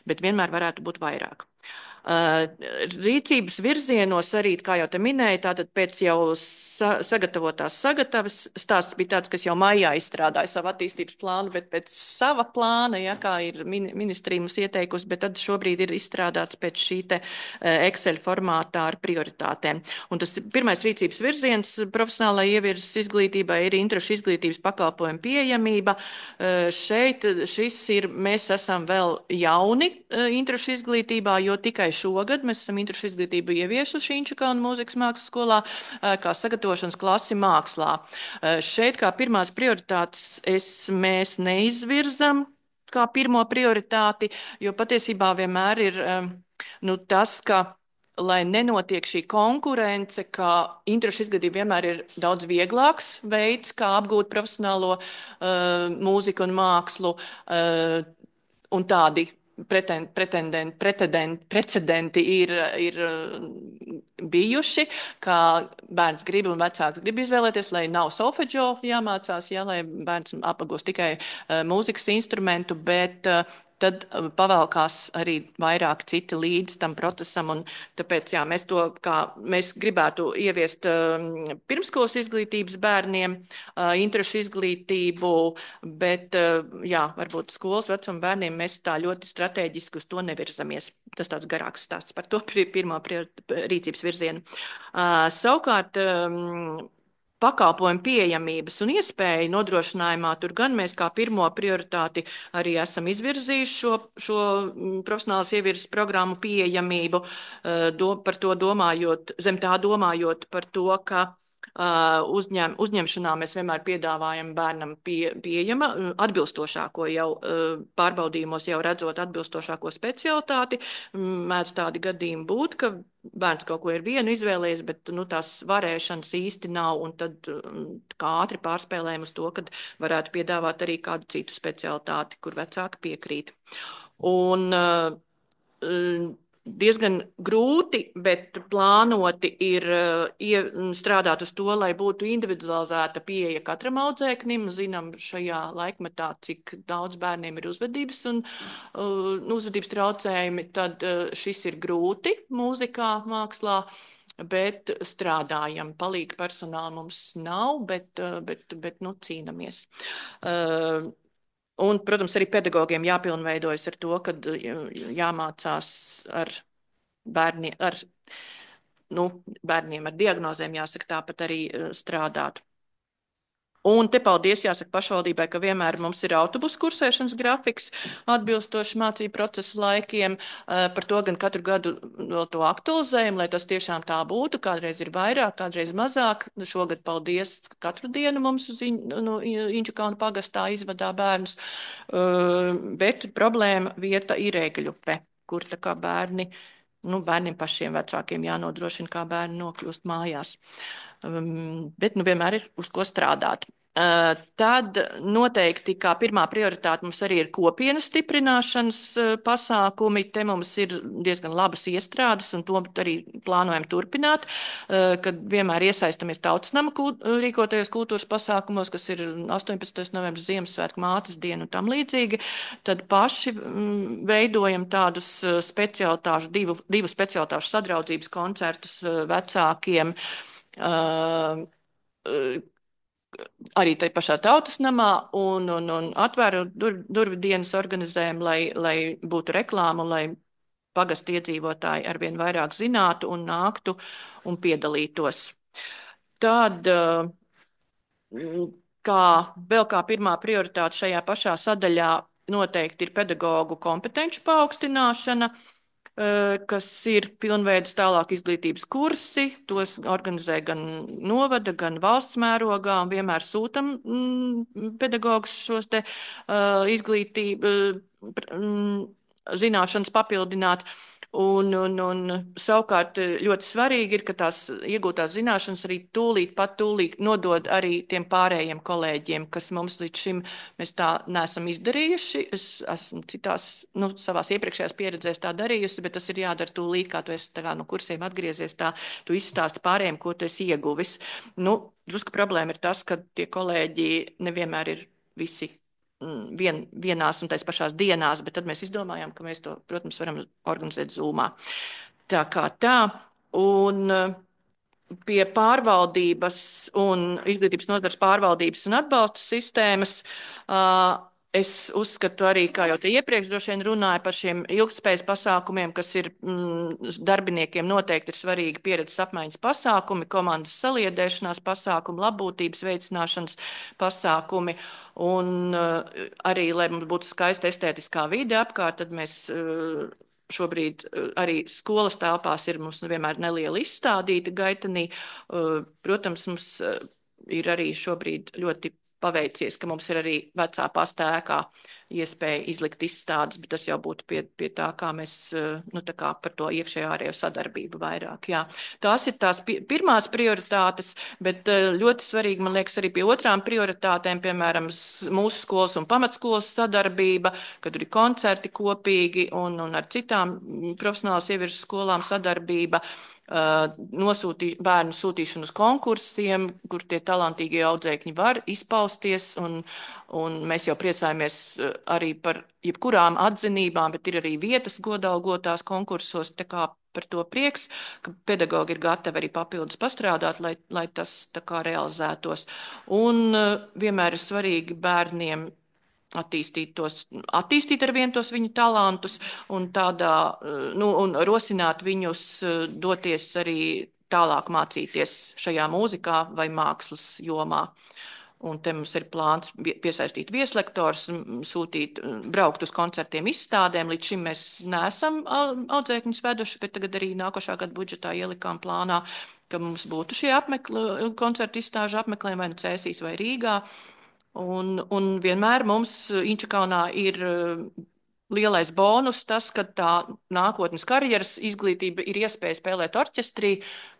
Bet vienmēr varētu būt vairāk. Rīcības virzienos arī, kā jau te minēju, tātad pēc jau sagatavotās sagatavas stāsts bija tāds, kas jau maijā izstrādāja savu attīstības plānu, bet pēc sava plāna, kā ir ministrija mums ieteikusi, bet tad šobrīd ir izstrādāts pēc šī te Excel formātā ar prioritātēm. Un tas pirmais rīcības virziens profesionālai ievirzes izglītībai ir interešu izglītības pakalpojumu pieejamība. Šeit mēs esam vēl jauni interešu izglītībā, jo tikai šogad mēs esam interešu izglītību ieviesuši Inčukalna mūzikas mākslas skolā kā sagatavošanas klasi mākslā. Šeit kā pirmās prioritātes mēs neizvirzam kā pirmo prioritāti, jo patiesībā vienmēr ir tas, ka lai nenotiek šī konkurence, ka interešu izglītība vienmēr ir daudz vieglāks veids, kā apgūt profesionālo mūziku un mākslu, un tādi precedenti ir bijuši, kā bērns grib un vecāks grib izvēlēties, lai nav solfeģo jāmācās, lai bērns apgūst tikai mūzikas instrumentu, bet tad pavēlkās arī vairāk citi līdz tam procesam, un tāpēc, mēs gribētu ieviest pirmskolas izglītības bērniem, interešu izglītību, bet, varbūt skolas vecuma bērniem mēs tā ļoti strateģiski uz to nevirzamies. Tas tāds garāks stāsts par to pirmo rīcības virzienu. Savukārt, pakalpojumu pieejamības un iespēju nodrošinājumā, tur gan mēs kā pirmo prioritāti arī esam izvirzījuši šo profesionālas ievirzes programmu pieejamību, par to domājot, zem tā domājot par to, ka uzņemšanā mēs vienmēr piedāvājam bērnam pieejama atbilstošāko jau pārbaudījumos, jau redzot atbilstošāko specialitāti. Mēdz tādi gadījumi būt, ka bērns kaut ko ir vienu izvēlējies, bet tās varēšanas īsti nav, un tad kā ātri pārspēlējam uz to, kad varētu piedāvāt arī kādu citu specialitāti, kur vecāki piekrīt. Un diezgan grūti, bet plānoti ir strādāt uz to, lai būtu individualizēta pieeja katram audzēknim. Zinām šajā laikmetā, cik daudz bērniem ir uzvedības un uzvedības traucējumi, tad šis ir grūti mūzikā, mākslā, bet strādājam. Palīga personāla mums nav, bet cīnamies. Un, protams, arī pedagogiem jāpilnveidojas ar to, kad jāmācās ar bērniem ar diagnozēm, jāsaka, tāpat arī strādāt. Un te paldies, jāsaka, pašvaldībai, ka vienmēr mums ir autobusu kursēšanas grafiks atbilstoši mācību procesu laikiem. Par to gan katru gadu vēl to aktualizējam, lai tas tiešām tā būtu. Kādreiz ir vairāk, kādreiz mazāk. Šogad paldies, katru dienu mums uz Inčukalnu pagastā izvadā bērnus. Bet problēma vieta ir Ēgļupe, kur tā kā bērniem pašiem vecākiem jānodrošina, kā bērni nokļūst mājās. Bet vienmēr ir uz ko strādāt. Tad noteikti kā pirmā prioritāte mums arī ir kopienas stiprināšanas pasākumi. Te mums ir diezgan labas iestrādes, un to arī plānojam turpināt, kad vienmēr iesaistamies Tautsnama rīkotajos kultūras pasākumos, kas ir 18. novembris, Ziemassvētku, Mātes diena un tam līdzīgi. Tad paši veidojam tādus divu specialitāšu sadraudzības koncertus vecākiem. Arī tai pašā Tautsnamā un atvēru durvju dienas organizējam, lai būtu reklāma, lai pagastu iedzīvotāji arvien vairāk zinātu un nāktu un piedalītos. Tad vēl kā pirmā prioritāte šajā pašā sadaļā noteikti ir pedagoģu kompetenci paaugstināšana, kas ir pilnveidas tālāk izglītības kursi. Tos organizē gan novada, gan valsts mērogā, un vienmēr sūtam pedagogus šos te zināšanas papildināt. Un savukārt ļoti svarīgi ir, ka tās iegūtās zināšanas arī tūlīt nodod arī tiem pārējiem kolēģiem, kas mums līdz šim mēs tā neesam izdarījuši. Es esmu citās, savās iepriekšējās pieredzēs tā darījusi, bet tas ir jādara tūlīt, kā tu esi no kursiem atgriezies, tā tu izstāsti pārējiem, ko tu esi ieguvis. Drusku problēma ir tas, ka tie kolēģi nevienmēr ir visi vienās un tais pašās dienās, bet tad mēs izdomājām, ka mēs to, protams, varam organizēt Zoomā. Tā kā tā, un pie pārvaldības un izglītības nozares pārvaldības un atbalsta sistēmas es uzskatu arī, kā jau te iepriekš droši vien runāju par šiem ilgtspējas pasākumiem, kas ir darbiniekiem noteikti ir svarīgi pieredzes apmaiņas pasākumi, komandas saliedēšanās pasākumi, labbūtības veicināšanas pasākumi, un arī, lai mums būtu skaista estētiskā vide apkārt, tad mēs šobrīd arī skolas telpās ir mums vienmēr neliela izstādīta gaitenī. Protams, mums ir arī šobrīd ļoti paveicies, ka mums ir arī vecā pasta ēkā iespēja izlikt izstādes, bet tas jau būtu pie tā, kā mēs tā kā par to iekšējo ārējo sadarbību vairāk. Jā. Tās ir tās pirmās prioritātes, bet ļoti svarīgi, man liekas, arī pie otrām prioritātēm, piemēram, mūsu skolas un pamatskolas sadarbība, kad ir koncerti kopīgi un ar citām profesionālas ievirzes skolām sadarbība. Bērnu sūtīšanu uz konkursiem, kur tie talantīgie audzēkņi var izpausties, un mēs jau priecājamies arī par jebkurām atzinībām, bet ir arī vietas godalgotās konkursos, tā kā par to prieks, ka pedagogi ir gatavi arī papildus pastrādāt, lai tas tā kā realizētos. Un vienmēr ir svarīgi bērniem attīstīt arvien tos viņu talantus un un rosināt viņus doties arī tālāk mācīties šajā mūzikā vai mākslas jomā. Un te mums ir plāns piesaistīt vieslektors, sūtīt, braukt uz koncertiem, izstādēm. Līdz šim mēs neesam audzēkņus veduši, bet tagad arī nākošā gada budžetā ielikām plānā, ka mums būtu šie koncertu izstāžu apmeklējumi vai nu Cēsīs vai Rīgā. Un vienmēr mums Inčakalnā ir lielais bonus tas, ka tā nākotnes karjeras izglītība ir iespēja spēlēt orķestrī,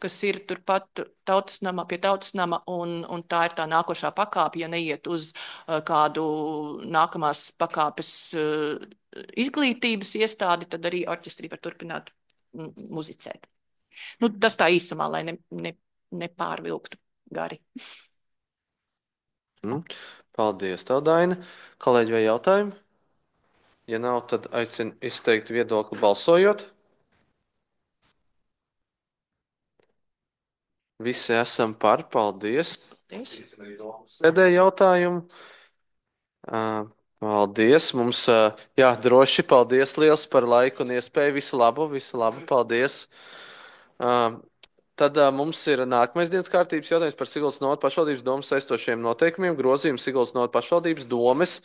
kas ir turpat pie tautas nama, un tā ir tā nākošā pakāpe, ja neiet uz kādu nākamās pakāpes izglītības iestādi, tad arī orķestrī var turpināt muzicēt. Nu, tas tā īsumā, lai nepārvilktu gari.
Paldies, tev, Daina. Kolēģi, vai jautājumi? Ja nav, tad aicinu izteikt viedokli balsojot. Visi esam par, paldies. Sēdēja jautājumu. Paldies. Mums, jā, droši, paldies liels par laiku un iespēju. Visu labu, paldies. Tad mums ir nākamais dienas kārtības jautājums par Siguldas novada pašvaldības domas saistošiem noteikumiem, grozījumu Siguldas novada pašvaldības domes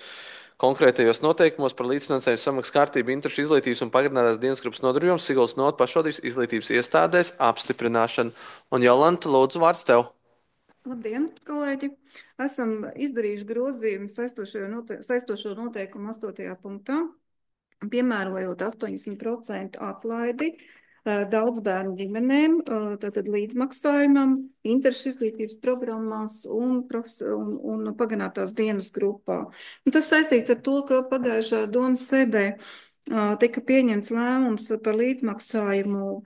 konkrētajos noteikumos par līdzfinansējumu samaksas kārtību, interešu izglītības un pagarinātās dienas grupas nodarbībām Siguldas novada pašvaldības izglītības iestādēs apstiprināšanu. Un Jolanta, lūdzu, vārds tev.
Labdien, kolēģi! Esam izdarījuši grozījumu saistošo noteikumu 8. punktā, piemērojot 80% atlaidi daudz bērnu ģimenēm, tātad līdzmaksājumam, interešu izglītības programmās un pagarinātās dienas grupā. Un tas saistīts ar to, ka pagājušā domas sēdē tika pieņemts lēmums par līdzmaksājumu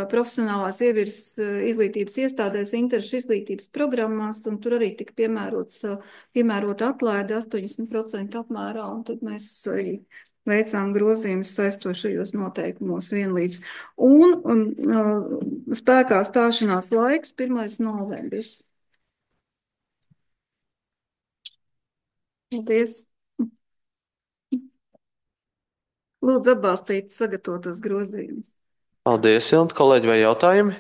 profesionālās ievirzes izglītības iestādēs, interešu izglītības programmās, un tur arī tika piemērota atlaide 80% apmērā, un tad mēs arī veicām grozījumus saistošajos noteikumos vienlīdz. Un spēkā stāšanās laiks 1. novembris. Paldies! Lūdzu atbalstīt sagatavotos grozījumus.
Paldies, Jolanta. Kolēģi, vai jautājumi?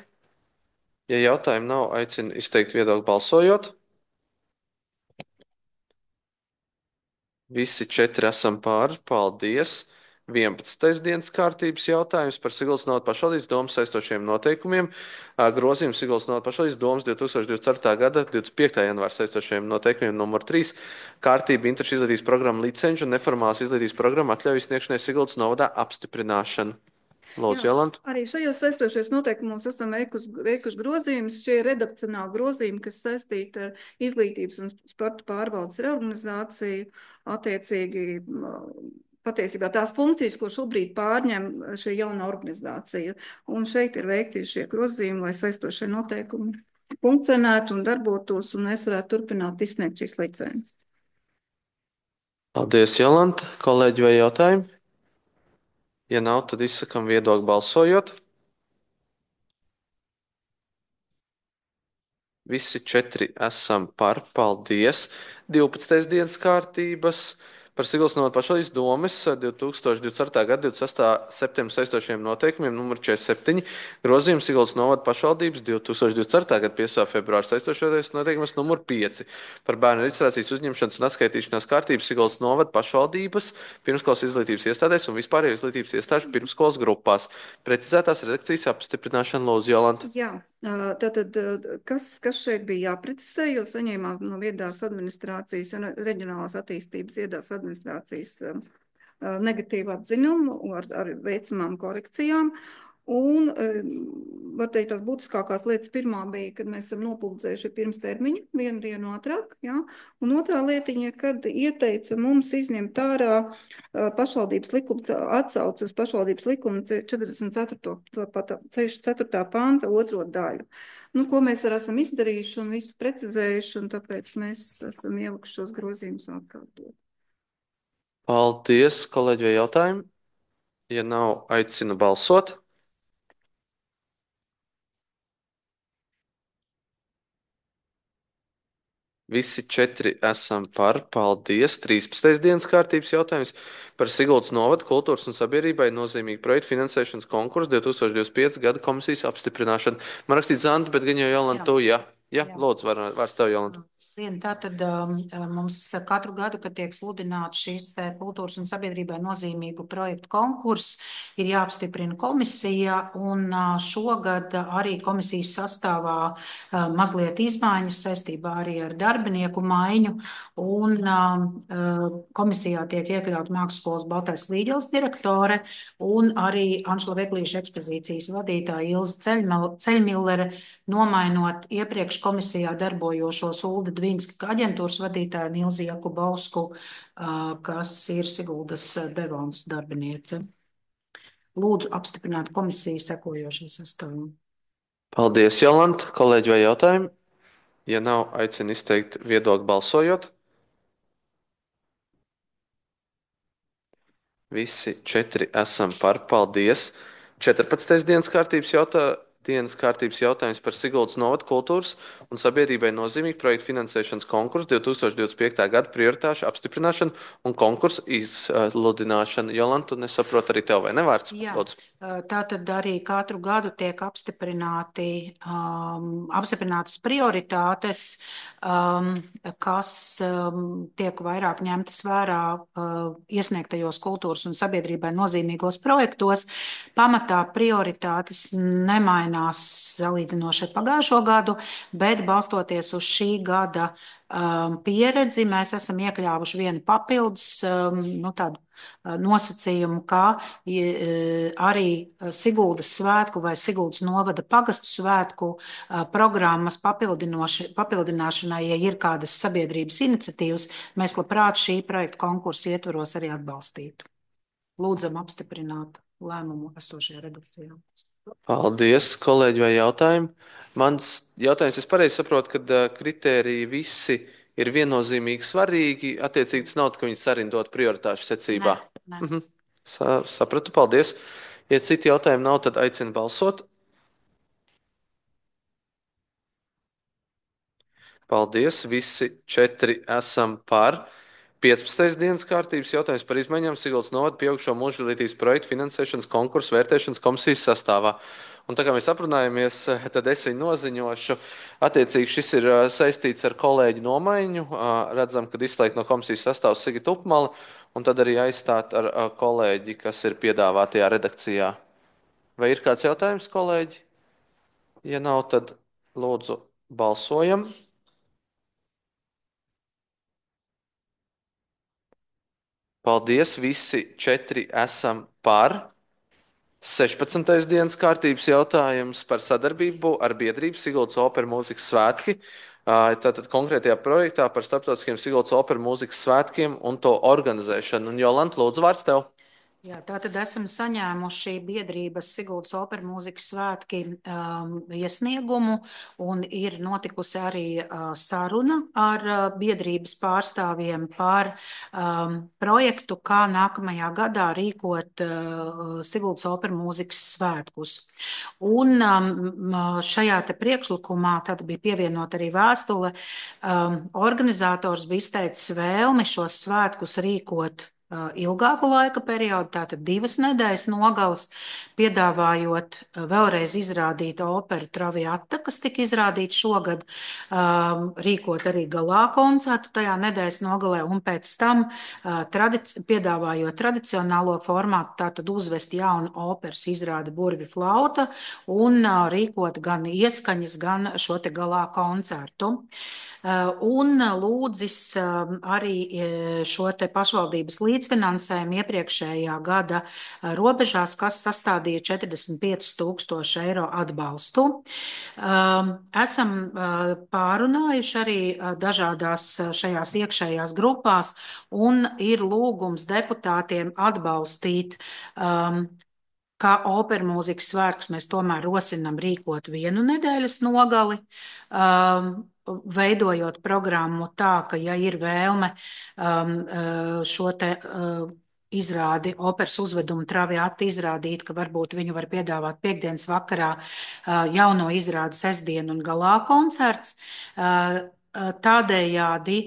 Ja jautājumi nav, aicinu izteikt viedokli balsojot. Visi 4 esam pār. Paldies. 11. dienas kārtības jautājums par Siguldas novada pašvaldības domas saistošiem noteikumiem. Grozījums Siguldas novada pašvaldības domas 2024. gada 25. janvāra saistošiem noteikumiem numur 3. Kārtība interešu izglītības programma licenču un neformālās izglītības programma atļauju sniegšanai Siguldas novadā apstiprināšanu. Lūdzu, Jolanta.
Arī šajos saistošajos noteikumos esam veikuši grozījumus. Šie ir redakcionāli grozījumi, kas saistīti ar izglītības un sporta pārvaldes reorganizāciju, attiecīgi patiesībā tās funkcijas, ko šobrīd pārņem šī jauna organizācija. Un šeit ir veikti šie grozījumi, lai saistošie noteikumi funkcionētu un darbotos, un mēs varētu turpināt izsniegt šīs licences.
Paldies, Jolanta. Kolēģi, vai jautājumi? Ja nav, tad izsakam viedokli balsojot. Visi 4 esam par. Paldies. 12. dienas kārtības par Siguldas novada pašvaldības domas 2024. gada 26. septembra saistošiem noteikumiem numur 47. Grozījums Siguldas novada pašvaldības 2024. gada 15. februāra saistošais noteikums numur 5 par bērnu reģistrācijas uzņemšanas un atskaitīšanās kārtības Siguldas novada pašvaldības pirmskolas izglītības iestādēs un vispārējo izglītības iestāžu pirmskolas grupās. Precizētās redakcijas apstiprināšana, lūdzu, Jolanta.
Jā. Tātad, kas šeit bija jāprecizē, jo saņēmām no viedās administrācijas un reģionālās attīstības viedās administrācijas negatīvu atziņumu ar veicamām korekcijām. Un, var teikt, tās būtiskākās lietas pirmā bija, kad mēs esam nopublicējuši pirms termiņa, 1 dienu ātrāk, ja? Un otrā lietiņa, kad ieteica mums izņemt ārā pašvaldības likuma, atsauci uz pašvaldības likuma 44. panta 2. daļu. Nu, ko mēs arī esam izdarījuši un visu precizējuši, un tāpēc mēs esam ielikuši šos grozījumus atkārtot.
Paldies, kolēģi, vai jautājumi? Ja nav, aicinu balsot. Visi 4 esam par. Paldies. 13. dienas kārtības jautājums par Siguldas novada kultūras un sabiedrībai nozīmīgu projektu finansēšanas konkursu 2025. gada komisijas apstiprināšanu. Man rakstīts Zanda, bet gan jau Jolanta, tu, jā. Jā, lūdzu, vārds tev, Jolanta.
Tātad mums katru gadu, kad tiek sludināts šis kultūras un sabiedrībai nozīmīgu projektu konkurss, ir jāapstiprina komisija, un šogad arī komisijas sastāvā mazliet izmaiņas saistībā arī ar darbinieku maiņu, un komisijā tiek iekļaut Mākslas Baltais Līģeles direktore un arī Anšla Veglīša ekspozīcijas vadītāja Ilze Ceļmillere, nomainot iepriekš komisijā darbojošos Ulda Dvīnska aģentūras vadītāju un Ilzi Jakubovsku, kas ir Siguldas Devons darbiniece. Lūdzu apstiprināt komisiju sekojošo sastāvu.
Paldies, Jolanta. Kolēģi, vai jautājumi? Ja nav, aicinu izteikt viedokli balsojot. Visi 4 esam par. Paldies. 14. dienas kārtības jautājums par Siguldas novada kultūras un sabiedrībai nozīmīgu projektu finansēšanas konkursu 2025. gada prioritāšu apstiprināšanu un konkursu izsludināšanu. Jolanta, nesaprotu arī tev, vai ne vārds?
Jā,
Lūdzu.
tātad arī katru gadu tiek apstiprinātas prioritātes, kas tiek vairāk ņemtas vērā iesniegtajos kultūras un sabiedrībai nozīmīgos projektos. Pamatā prioritātes nemainās salīdzinoši ar pagājušo gadu, bet balstoties uz šī gada pieredzi, mēs esam iekļāvuši vienu papildus tādu nosacījumu, kā arī Siguldas svētku vai Siguldas novada pagastu svētku programmas papildināšanai, ja ir kādas sabiedrības iniciatīvas, mēs labprāt šī projekta konkursa ietvaros arī atbalstītu. Lūdzam apstiprināt lēmumu esošajā redakcijā.
Paldies, kolēģi, vai jautājumi? Mans jautājums, es pareizi saprotu, ka kritēriji visi ir viennozīmīgi svarīgi, attiecīgi tas nav, ka viņi sarindot prioritāšu secībā.
Nē.
Sapratu, paldies. Ja citi jautājumi nav, tad aicinu balsot. Paldies, visi 4 esam par. 15. dienas kārtības jautājums par izmaiņām Siguldas novada pieaugšo mūža izglītības projektu finansēšanas konkursu vērtēšanas komisijas sastāvā. Un tā kā mēs aprunājamies, tad es viņu noziņošu. Attiecīgi šis ir saistīts ar kolēģi nomaiņu. Redzam, kad izslēgt no komisijas sastāvs Sigitu Upmali, un tad arī aizstāt ar kolēģi, kas ir piedāvātajā redakcijā. Vai ir kāds jautājums, kolēģi? Ja nav, tad lūdzu balsojam. Paldies, visi 4 esam par. 16. dienas kārtības jautājums par sadarbību ar biedrību Siguldas operu mūzikas svētki. Tātad konkrētajā projektā par starptautiskiem Siguldas operu mūzikas svētkiem un to organizēšanu. Un Jolanta, lūdzu, vārds tev.
Jā, tātad esam saņēmuši biedrības Siguldas operu mūzikas svētki iesniegumu, un ir notikusi arī saruna ar biedrības pārstāvjiem par projektu, kā nākamajā gadā rīkot Siguldas operu mūzikas svētkus. Un šajā te priekšlikumā tad bija pievienot arī vēstule. Organizators bija izteicis vēlmi šos svētkus rīkot ilgāku laika periodu, tātad 2 nedēļas nogales, piedāvājot vēlreiz izrādīt operu Traviata, kas tika izrādīta šogad, rīkot arī galā koncertu tajā nedēļas nogalē, un pēc tam piedāvājot tradicionālo formātu, tātad uzvest jaunu operas izrādi Burvi flauta un rīkot gan ieskaņas, gan šo te galā koncertu. Un lūdzis arī šo te pašvaldības līdzfinansējumu iepriekšējā gada robežās, kas sastādīja 45,000 eiro atbalstu. Esam pārunājuši arī dažādās šajās iekšējās grupās, un ir lūgums deputātiem atbalstīt kā operu mūzikas svētkus mēs tomēr rosinam rīkot 1 nedēļas nogali, veidojot programmu tā, ka, ja ir vēlme šo te izrādi operas uzvedumu Traviata izrādīt, ka varbūt viņu var piedāvāt piektdienas vakarā jauno izrādi sestdienu un galā koncerts. tādējādi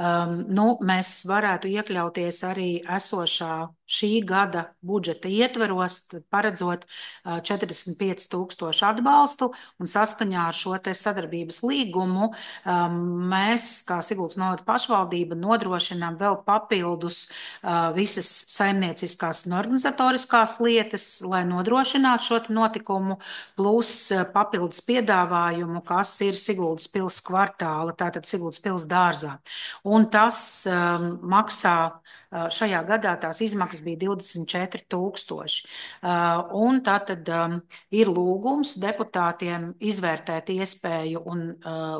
mēs varētu iekļauties arī esošā šī gada budžeta ietveros, paredzot 45,000 atbalstu, un saskaņā ar šo te sadarbības līgumu mēs, kā Siguldas novada pašvaldība, nodrošinām vēl papildus visas saimnieciskās un organizatoriskās lietas, lai nodrošinātu šo notikumu, plus papildus piedāvājumu, kas ir Siguldas pils kvartāla, tātad Siguldas pils dārzā. Un tas maksā šajā gadā tās izmaksas bija 24,000. Un tātad ir lūgums deputātiem izvērtēt iespēju un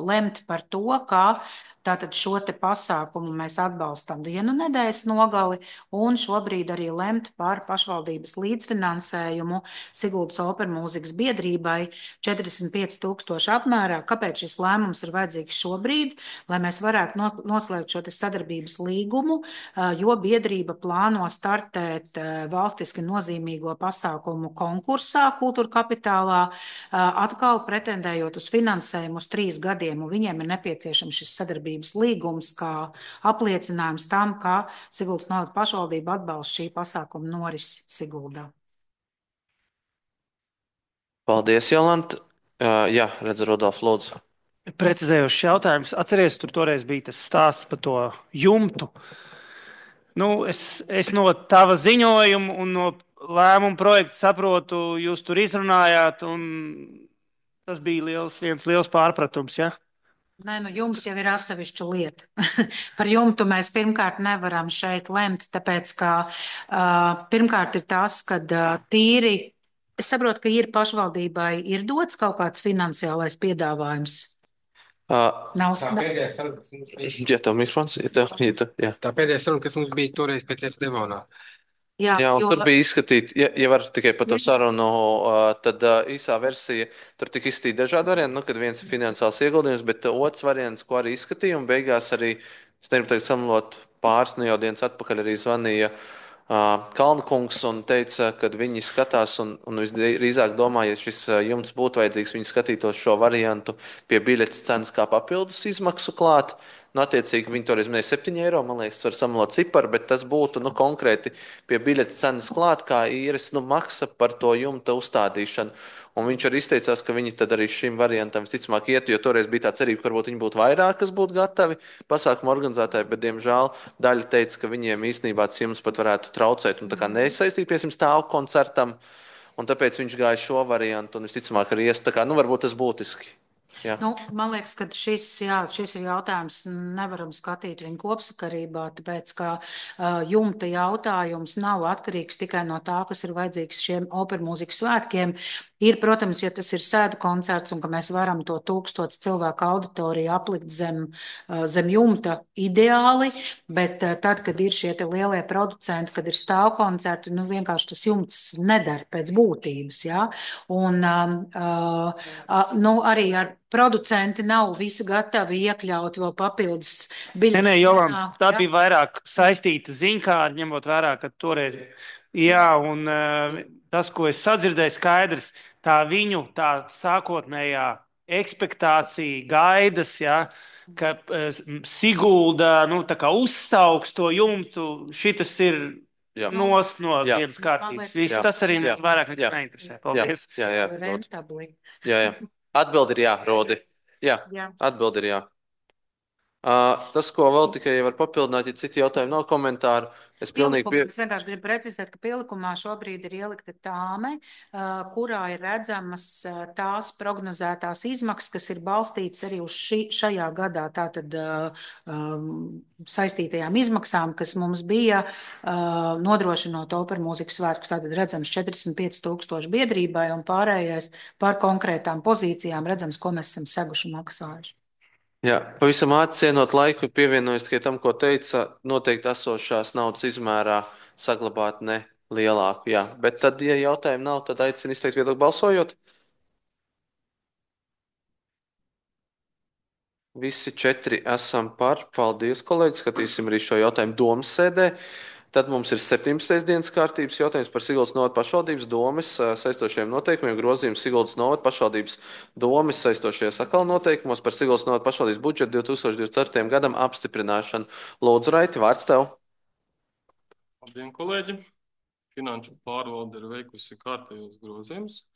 lemt par to, kā tātad šo te pasākumu mēs atbalstam vienu nedēļas nogali un šobrīd arī lemt par pašvaldības līdzfinansējumu Siguldas opermūzikas biedrībai 45,000 apmērā. Kāpēc šis lēmums ir vajadzīgs šobrīd? Lai mēs varētu noslēgt šo te sadarbības līgumu, jo biedrība plāno startēt valstiski nozīmīgo pasākumu konkursā Kultūra Kapitālā, atkal pretendējot uz finansējumu uz 3 gadiem, un viņiem ir nepieciešams šis sadarbības līgums kā apliecinājums tam, ka Siguldas novada pašvaldība atbalsta šī pasākuma norisi Siguldā.
Paldies, Jolanta. Jā, redzu, Rodolf, lūdzu.
Precizējošs jautājums. Atceries, tur toreiz bija tas stāsts par to jumtu. Es no tava ziņojuma un no lēmuma projekta saprotu, jūs tur izrunājāt, un tas bija viens liels pārpratums, ja?
Nē, jums jau ir atsevišķa lieta. Par jumtu mēs pirmkārt nevaram šeit lemt, tāpēc, ka pirmkārt ir tas, ka tīri, es saprotu, ka ir pašvaldībai ir dots kaut kāds finansiālais piedāvājums.
Tā pēdējā saruna, kas mums bija.
Ja tev mikrofons, jā.
Tā pēdējā saruna, kas mums bija toreiz pēc tevis Devonā.
Jā,
un tur bija izskatīta, ja var tikai par to sarunu, tad īsā versija, tur tika izskatīta dažādi varianti, kad viens ir finansiāls ieguldījums, bet otrs variants, ko arī izskatīja, un beigās arī, es negribu teikt samlot pāris, jau dienas atpakaļ arī zvanīja Kalna kungs un teica, ka viņi skatās un visdrīzāk domā, ja šis jumts būtu vajadzīgs, viņi skatītos šo variantu pie biļetes cenas kā papildus izmaksu klāt. Attiecīgi viņi toreiz minēja 7 eiro, man liekas, var samalot ciparu, bet tas būtu konkrēti pie biļetes cenas klāt, kā īres maksa par to jumta uzstādīšanu. Un viņš arī izteicās, ka viņi tad arī šim variantam visticamāk iet, jo toreiz bija tā cerība, ka varbūt viņi būtu vairāk, kas būtu gatavi pasākumu organizētāji, bet, diemžēl, daļa teica, ka viņiem īstenībā tas jums pat varētu traucēt un tā kā nesaistīt, piemēram, stāvu koncertam, un tāpēc viņš gāja šo variantu un visticamāk arī ies, tā kā, varbūt tas būtiski. Jā.
Man liekas, ka šis ir jautājums, nevaram skatīt viņu kopsakarībā, tāpēc, ka jumta jautājums nav atkarīgs tikai no tā, kas ir vajadzīgs šiem opermūzikas svētkiem. Ir, protams, ja tas ir sēdu koncerts un ka mēs varam to 1000 cilvēku auditoriju aplikt zem jumta ideāli, bet tad, kad ir šie te lielie producenti, kad ir stāvkoncerti, vienkārši tas jumts nedara pēc būtības, jā. Un arī ar producenti nav visi gatavi iekļaut vēl papildus biļetes.
Nē, Jolanta, tā bija vairāk saistīta ziņkāra, ņemot vērā, ka toreiz, jā, un tas, ko es sadzirdēju, skaidrs, tā viņu tā sākotnējā ekspektācija, gaidas, ja, ka Sigulda tā kā uzsauks to jumtu, šitas ir nost no vienas kārtības. Viss tas arī vairāk nekā neinteresē. Paldies.
Jā. Atbildi ir jā, Rodi. Jā, atbildi ir jā. Tas, ko vēl tikai var papildināt, ja citi jautājumi nav komentāru, es
vienkārši gribu precizēt, ka pielikumā šobrīd ir ielikta tāme, kurā ir redzamas tās prognozētās izmaksas, kas ir balstītas arī uz šajā gadā tātad saistītajām izmaksām, kas mums bija nodrošinot opermūzikas svētkus. Tātad redzams 45,000 biedrībai un pārējais par konkrētām pozīcijām redzams, ko mēs esam seguši maksājuši.
Jā, pavisam ātri cienot laiku, pievienojos tikai tam, ko teica, noteikti esošās naudas izmērā saglabāt ne lielāku. Jā, bet tad, ja jautājumu nav, tad aicinu izteikt viedokli balsojot. Visi 4 esam par. Paldies, kolēģi. Skatīsim arī šo jautājumu domas sēdē. Tad mums ir 17. dienas kārtības jautājums par Siguldas novada pašvaldības domes saistošajiem noteikumiem, grozījums Siguldas novada pašvaldības domes saistošajos atkal noteikumos par Siguldas novada pašvaldības budžetu 2024. gadam apstiprināšanu. Lūdzu, Raiti, vārds tev.
Labdien, kolēģi! Finanšu pārvalde ir veikusi kārtējos grozījumus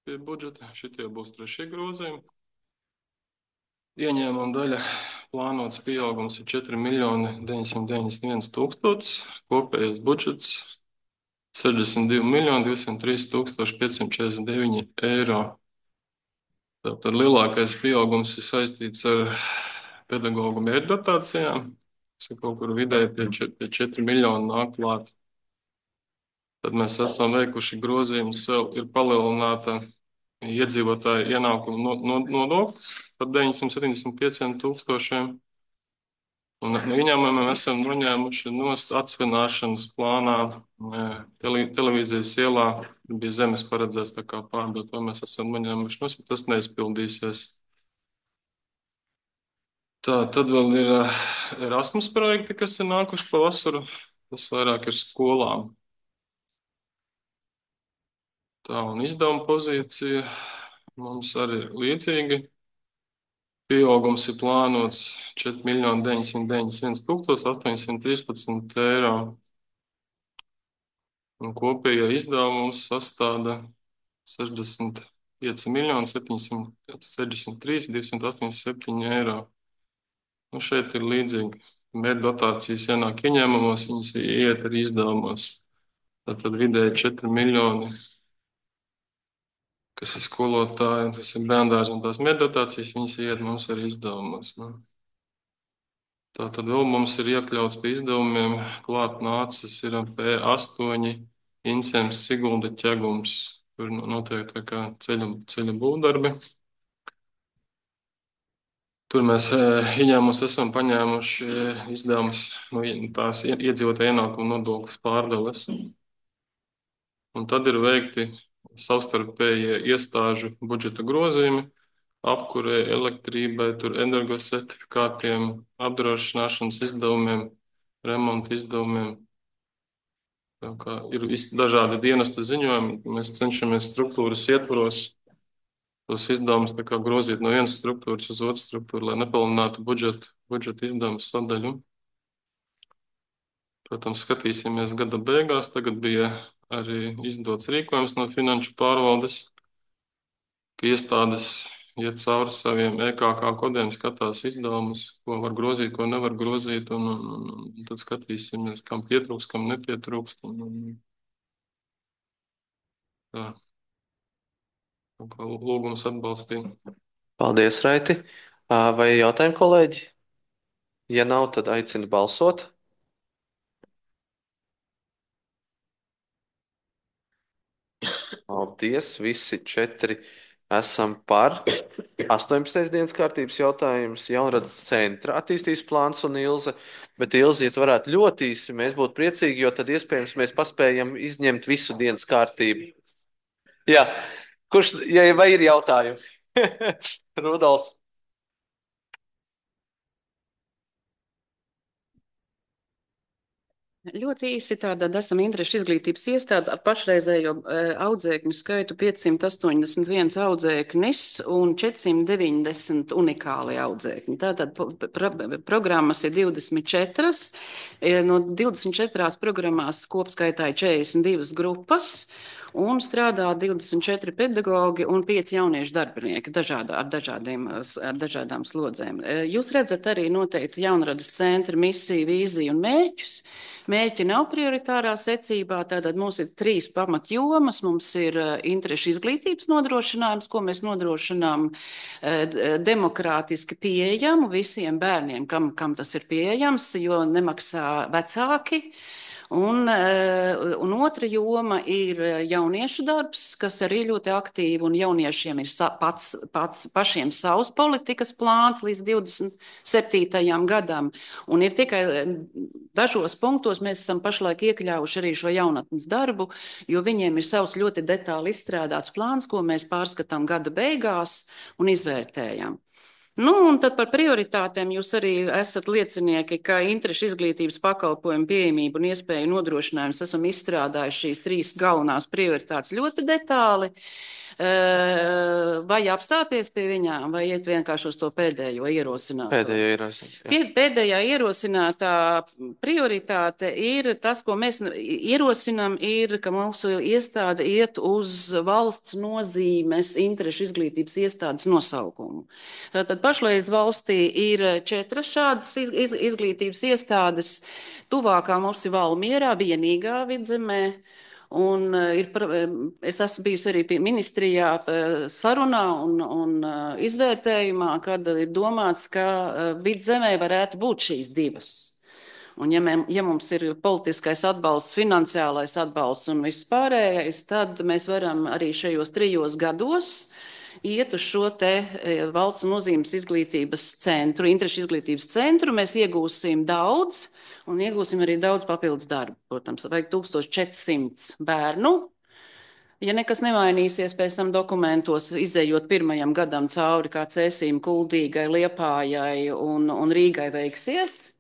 pie budžeta. Šitie būs 3. grozījumi. Ieņēmuma daļa plānots pieaugums ir 4 991 000, kopējais budžets 62 203 549 eiro. Tātad lielākais pieaugums ir saistīts ar pedagoģu mērķdotācijām, kas ir kaut kur vidēji pie 4 miljonu nāk klāt. Tad mēs esam veikuši grozījumus, ir palielināta iedzīvotāju ienākumu nodoklis par 975 000. Un no ieņēmumiem esam noņēmuši nost atsvināšanas plānā televīzijas ielā. Bija zemes paredzēts tā kā pārdot, to mēs esam noņēmuši nost, bet tas neizpildīsies. Tā, tad vēl ir Erasmus projekti, kas ir nākuši pa vasaru. Tas vairāk ir skolām. Tā, un izdevuma pozīcija mums arī līdzīgi. Pieaugums ir plānots 4 991 813 eiro. Un kopējā izdevums sastāda 65 763 287 eiro. Nu, šeit ir līdzīgi. Mērķdotācijas ienāk ieņēmumos, viņas iet arī izdevumos. Tad vidēji 4 miljoni. Kas ir skolotāji, tas ir bērndārzi un tās mērķdotācijas, viņas iet mums arī izdevumos. Nu. Tātad vēl mums ir iekļauts pie izdevumiem, klāt nācis ir P8, Incems, Sigulda, Ķegums. Tur notiek tā kā ceļa būvdarbi. Tur mēs ieņēmumus esam paņēmuši izdevumus no tās iedzīvotāju ienākumu nodoklis pārdales. Un tad ir veikti savstarpējie iestāžu budžeta grozījumi, apkurei, elektrībai, tur energosertifikātiem, apdrošināšanas izdevumiem, remonta izdevumiem. Tā kā ir dažādi dienesta ziņojumi, mēs cenšamies struktūras ietvaros tos izdevumus tā kā grozīt no vienas struktūras uz otru struktūru, lai nepalielinātu budžeta izdevumu sadaļu. Protams, skatīsimies gada beigās. Tagad bija arī izdots rīkojums no finanšu pārvaldes, ka iestādes iet cauri saviem EKK kodiem, skatās izdevumus, ko var grozīt, ko nevar grozīt, un tad skatīsimies, kam pietrūkst, kam nepietrūkst. Tā. Lūgums atbalstīt.
Paldies, Raiti. Vai jautājumi, kolēģi? Ja nav, tad aicinu balsot. Paldies, visi 4 esam par. 18. dienas kārtības jautājums, Jaunradas centra attīstības plāns un Ilze. Bet Ilze, ja tu varētu ļoti īsi, mēs būtu priecīgi, jo tad iespējams mēs paspējam izņemt visu dienas kārtību. Jā, vai ir jautājumi? Rudolfs.
Ļoti īsi tātad esam interešu izglītības iestāde ar pašreizējo audzēkņu skaitu 581 audzēknis un 490 unikāli audzēkņi. Tātad programmas ir 24. No 24 programmās kopskaitā ir 42 grupas. Un strādā 24 pedagogi un 5 jauniešu darbinieki ar dažādām slodzēm. Jūs redzat arī noteikti Jaunradas centra misiju, vīziju un mērķus. Mērķi nav prioritārā secībā, tātad mums ir 3 pamatjomas. Mums ir interešu izglītības nodrošinājums, ko mēs nodrošinām demokrātiski pieejamu visiem bērniem, kam tas ir pieejams, jo nemaksā vecāki. Un otra joma ir jauniešu darbs, kas arī ļoti aktīvi, un jauniešiem ir pašiem savs politikas plāns līdz 27. gadam. Un ir tikai dažos punktos mēs esam pašlaik iekļāvuši arī šo jaunatnes darbu, jo viņiem ir savs ļoti detāli izstrādāts plāns, ko mēs pārskatām gada beigās un izvērtējam. Nu, un tad par prioritātēm jūs arī esat liecinieki, ka interešu izglītības pakalpojumu pieejamību un iespēju nodrošinājums esam izstrādājuši šīs 3 galvenās prioritātes ļoti detāli. Vai apstāties pie viņām, vai iet vienkārši uz to pēdējo ierosināto? Pēdējā ierosinātā prioritāte ir tas, ko mēs ierosinām, ir, ka mūsu iestāde iet uz valsts nozīmes interešu izglītības iestādes nosaukumu. Tātad pašreiz valstī ir 4 šādas izglītības iestādes. Tuvākā mums ir Valmierā, vienīgā Vidzemē. Un es esmu bijusi arī ministrijā sarunā un izvērtējumā, kad ir domāts, ka Vidzemē varētu būt šīs 2. Un ja mums ir politiskais atbalsts, finansiālais atbalsts un viss pārējais, tad mēs varam arī šajos 3 gados iet uz šo te valsts nozīmes izglītības centru, interešu izglītības centru. Mēs iegūsim daudz. Un iegūsim arī daudz papildus darbu. Protams, vajag 1400 bērnu. Ja nekas nemainīsies pēc tam dokumentos, izējot 1. gadam cauri, kā Cēsīm, Kuldīgai, Liepājai un Rīgai veiksies.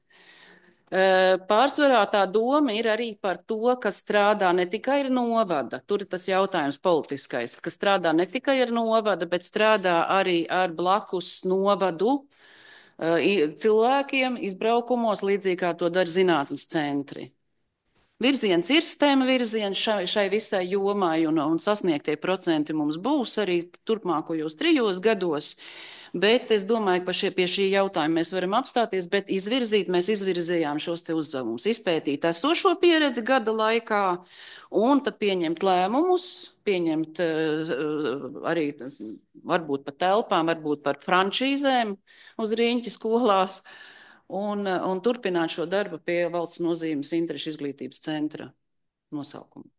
Pārsvarā tā doma ir arī par to, ka strādā ne tikai ar novada, tur ir tas jautājums politiskais, ka strādā ne tikai ar novada, bet strādā arī ar blakus novadu cilvēkiem izbraukumos, līdzīgi kā to dara zinātnes centri. Virziens ir STEM virziens šai visai jomai, un sasniegtie procenti mums būs arī turpmākajos 3 gados. Bet es domāju, ka pie šī jautājuma mēs varam apstāties, bet mēs izvirzījām šos te uzdevumus, izpētīt esošo pieredzi gada laikā un tad pieņemt lēmumus, pieņemt arī varbūt par telpām, varbūt par frančīzēm uz riņķi skolās un turpināt šo darbu pie valsts nozīmes interešu izglītības centra nosaukuma.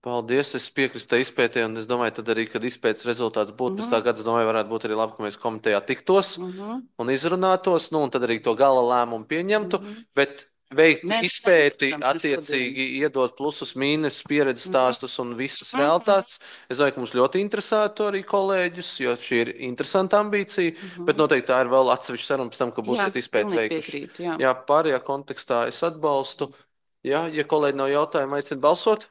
Paldies, es piekrītu izpētē, un es domāju, tad arī, kad izpētes rezultāts būtu pēc tā gada, es domāju, varētu būt arī labi, ka mēs komitejā tiktos un izrunātos, un tad arī to gala lēmumu pieņemtu, bet veikt izpēti, attiecīgi iedot plusus, mīnusus, pieredzes stāstus un visas realitātes. Es domāju, ka mums ļoti interesētu arī kolēģus, jo šī ir interesanta ambīcija, bet noteikti tā ir vēl atsevišķa saruna pēc tam, ka būsiet izpēti veikuši. Jā, pārējā kontekstā es atbalstu. Jā, ja kolēģi nav jautājumu, aicinu balsot.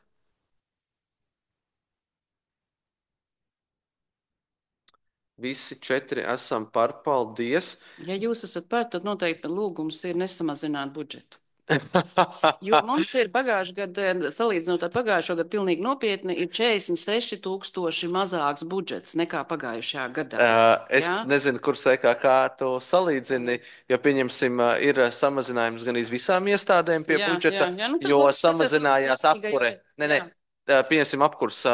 Visi 4 esam par, paldies.
Ja jūs esat par, tad noteikti lūgums ir nesamazināt budžetu. Jo mums ir pagājušajā gadā, salīdzinot ar pagājušo gadu, pilnīgi nopietni ir 46,000 mazāks budžets nekā pagājušajā gadā.
Es nezinu, kur sekā, kā to salīdzini, jo pieņemsim, ir samazinājums gan visām iestādēm pie budžeta, jo samazinājās apkure. Pieņemsim apkurs,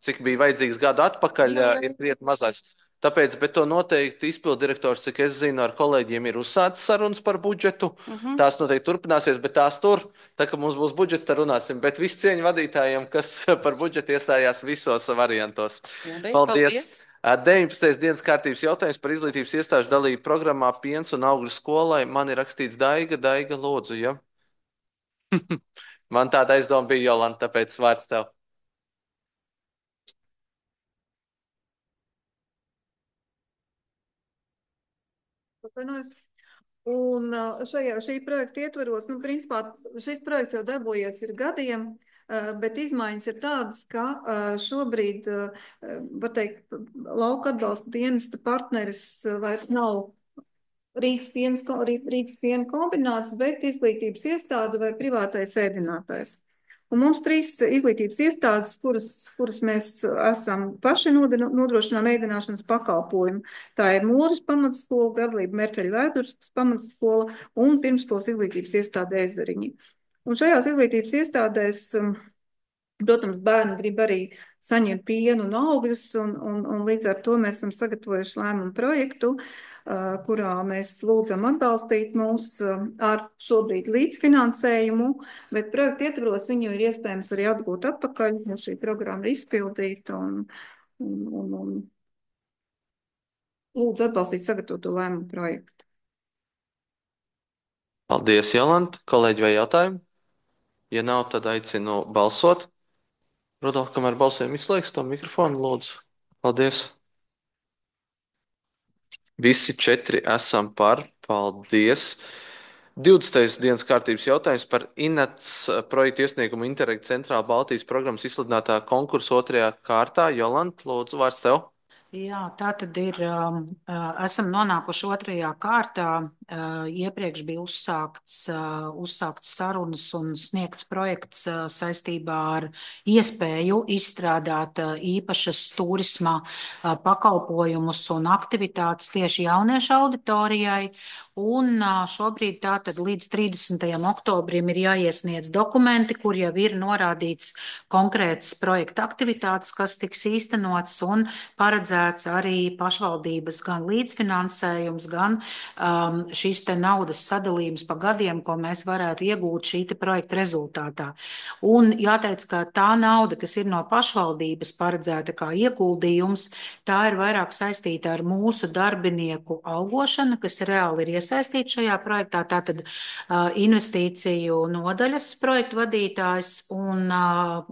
cik bija vajadzīgs gadu atpakaļ, ir krietni mazāks. Tāpēc, bet to noteikti izpildirektors, cik es zinu, ar kolēģiem ir uzsācis sarunas par budžetu. Tās noteikti turpināsies, bet tās tur, tā kā mums būs budžets, tad runāsim. Bet visu cieņu vadītājiem, kas par budžetu iestājās visos variantos. Paldies! 19. dienas kārtības jautājums par izglītības iestāžu dalību programmā Piens un augļu skolai. Man ir rakstīts Daiga lūdzu, ja? Man tāda aizdoma bija, Jolanta, tāpēc vārds tev.
Un šī projekta ietvaros, principā šis projekts jau darbojies ir gadiem, bet izmaiņas ir tādas, ka šobrīd, var teikt, lauka atbalsta dienesta partneris vairs nav Rīgas piena kombināts, bet izglītības iestāde vai privātais ēdinātājs. Un mums 3 izglītības iestādes, kuras mēs esam paši nodrošinām ēdināšanas pakalpojumu. Tā ir Mūras pamatskola, Gavlība Merķeļa Vēdurskas pamatskola un pirmskolas izglītības iestāde Ezeriņi. Un šajās izglītības iestādēs, protams, bērni grib arī saņemt pienu un augļus, un līdz ar to mēs esam sagatavojuši lēmumu projektu, kurā mēs lūdzam atbalstīt mūs ar šobrīd līdzfinansējumu, bet projektu ietvaros viņu ir iespējams arī atgūt atpakaļ, jo šī programma ir izpildīta un lūdzu atbalstīt sagatavotu lēmumu projektu.
Paldies, Jolanta. Kolēģi, vai jautājumi? Ja nav, tad aicinu balsot. Rudolf, kamēr balsojam, izslēgs to mikrofonu, lūdzu. Paldies. Visi 4 esam par. Paldies. 20. dienas kārtības jautājums par INATS projektu iesniegumu Interreg Centrāla Baltijas programmas izsludinātā konkursa otrajā kārtā. Jolanta, lūdzu, vārds tev.
Jā, tā tad ir. Esam nonākuši otrajā kārtā. Iepriekš bija uzsākts sarunas un sniegts projekts saistībā ar iespēju izstrādāt īpašas turisma pakalpojumus un aktivitātes tieši jauniešu auditorijai. Un šobrīd tātad līdz 30. oktobrim ir jāiesniedz dokumenti, kur jau ir norādīts konkrētas projekta aktivitātes, kas tiks īstenotas un paredzēts arī pašvaldības gan līdzfinansējums, gan šīs te naudas sadalījums pa gadiem, ko mēs varētu iegūt šī te projekta rezultātā. Un jāteic, ka tā nauda, kas ir no pašvaldības paredzēta kā ieguldījums, tā ir vairāk saistīta ar mūsu darbinieku algošanu, kas reāli ir iesaistīti šajā projektā. Tātad investīciju nodaļas projektu vadītājs, un,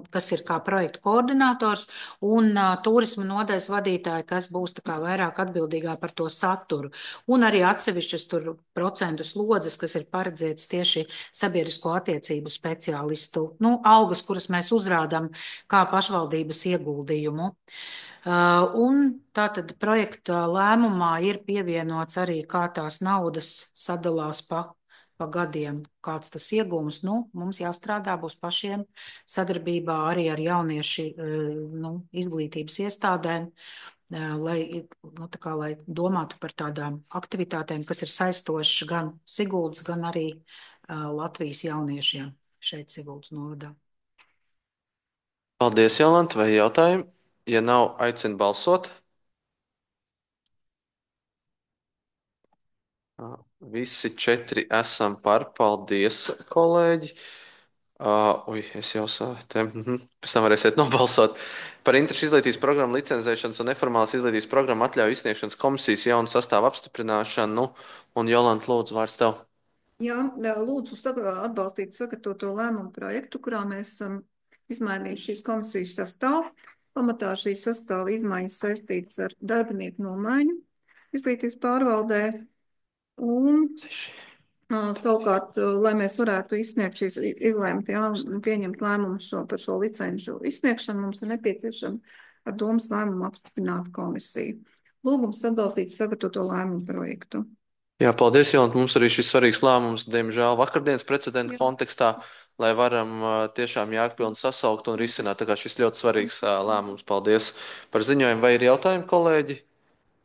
kas ir kā projektu koordinators, un turisma nodaļas vadītāji, kas būs tā kā vairāk atbildīgā par to saturu. Un arī atsevišķas tur procentu slodzes, kas ir paredzētas tieši sabiedrisko attiecību speciālistu, algas, kuras mēs uzrādām kā pašvaldības ieguldījumu. Un tātad projekta lēmumā ir pievienots arī, kā tās naudas sadalās pa gadiem, kāds tas iegūms. Mums jāstrādā būs pašiem sadarbībā arī ar jauniešu izglītības iestādēm, lai domātu par tādām aktivitātēm, kas ir saistošas gan Siguldas, gan arī Latvijas jauniešiem šeit Siguldas novadā.
Paldies, Jolanta, vai jautājumi? Ja nav, aicinu balsot. Visi 4 esam par. Paldies, kolēģi. Es jau pēc tam varēsiet nobalsot. Par interešu izglītības programmu licencēšanas un neformālas izglītības programmu atļauju izsniegšanas komisijas jaunu sastāvu apstiprināšanu. Un Jolanta, lūdzu, vārds tev.
Jā, lūdzu atbalstīt sagatavoto lēmumu projektu, kurā mēs esam izmainījuši šīs komisijas sastāvu. Pamatā šīs sastāva izmaiņas saistītas ar darbinieku nomaiņu izglītības pārvaldē. Un savukārt, lai mēs varētu izsniegt šīs izlēmt, pieņemt lēmumu par šo licenšu izsniegšanu, mums ir nepieciešama ar domas lēmumu apstiprināt komisiju. Lūgums atbalstīt sagatavoto lēmumu projektu.
Jā, paldies, Jolanta. Mums arī šis svarīgs lēmums, diemžēl, vakardienas precedenta kontekstā, lai varam tiešām jēgpilni sasaukt un risināt. Tā kā šis ļoti svarīgs lēmums. Paldies par ziņojumu. Vai ir jautājumi, kolēģi?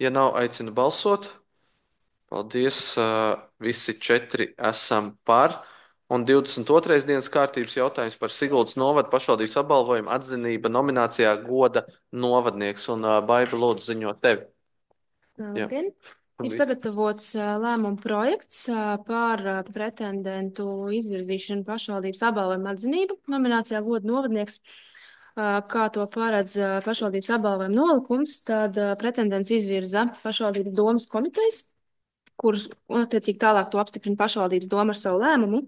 Ja nav, aicinu balsot. Paldies. Visi 4 esam par. Un 22. dienas kārtības jautājums par Siguldas novada pašvaldības apbalvojumu atzinība nominācijā goda novadnieks. Un Baiba, lūdzu, ziņot tevi.
Labdien! Ir sagatavots lēmuma projekts par pretendentu izvirzīšanu pašvaldības apbalvojumu atzinību nominācijā goda novadnieks. Kā to paredz pašvaldības apbalvojuma nolikums, tad pretendents izvirza pašvaldības domas komitejas, kuras attiecīgi tālāk to apstiprina pašvaldības doma ar savu lēmumu.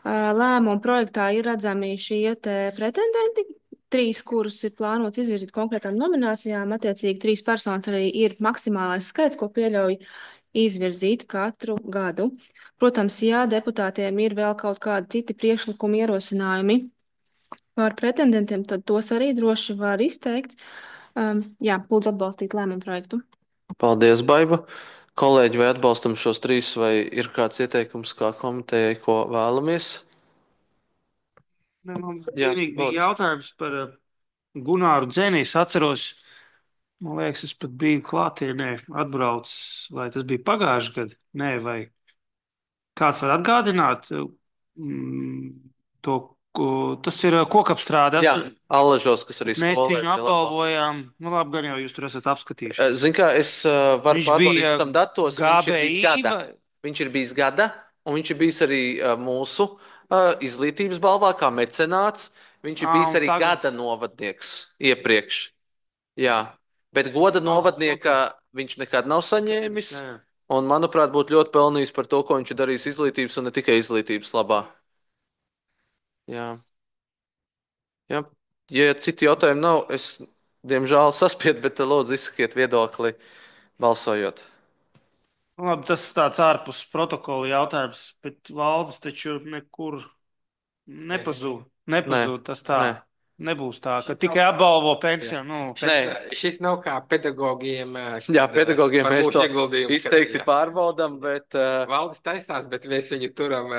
Lēmuma projektā ir redzami šie pretendenti, 3, kurus ir plānots izvirzīt konkrētām nominācijām. Attiecīgi 3 personas arī ir maksimālais skaits, ko pieļauj izvirzīt katru gadu. Protams, ja deputātiem ir vēl kaut kādi citi priekšlikumi, ierosinājumi par pretendentiem, tad tos arī droši var izteikt. Lūdzu atbalstīt lēmumu projektu.
Paldies, Baiba. Kolēģi, vai atbalstam šos 3, vai ir kāds ieteikums kā komitejai, ko vēlamies?
Man bija jautājums par Gunāru Dzeni. Es atceros, man liekas, es pat biju klātienē atbraucis, vai tas bija pagājuši gadu? Nē, vai kāds var atgādināt to? Tas ir kokapstrāde.
Jā, Allažos, kas arī
skolē. Mēs viņu apbalvojām. Labi, gan jau jūs tur esat apskatījuši.
Zin kā, es varu pārbaudīt tam datos. Viņš ir bijis gada, un viņš ir bijis arī mūsu izglītības balvā kā mecenāts. Viņš ir bijis arī gada novadnieks iepriekš. Jā, bet goda novadnieka viņš nekad nav saņēmis. Un, manuprāt, būtu ļoti pelnījis par to, ko viņš ir darījis izglītības un ne tikai izglītības labā. Jā. Ja citi jautājumi nav, es, diemžēl, saspiedu, bet lūdzu izsakiet viedokli balsojot.
Labi, tas tāds ārpus protokola jautājums, bet valdes taču nekur nepazūd.
Nē,
Nepazūd tas tā.
nē.
Nebūs tā, ka tikai apbalvo pensiju. Nu,
Šis nav kā pedagogiem.
Jā, pedagogiem
par
mēs
mūsu
to
ieguldījumu,
izteikti
jā.
pārbaudam, bet
Valdes taisās, bet mēs viņu turam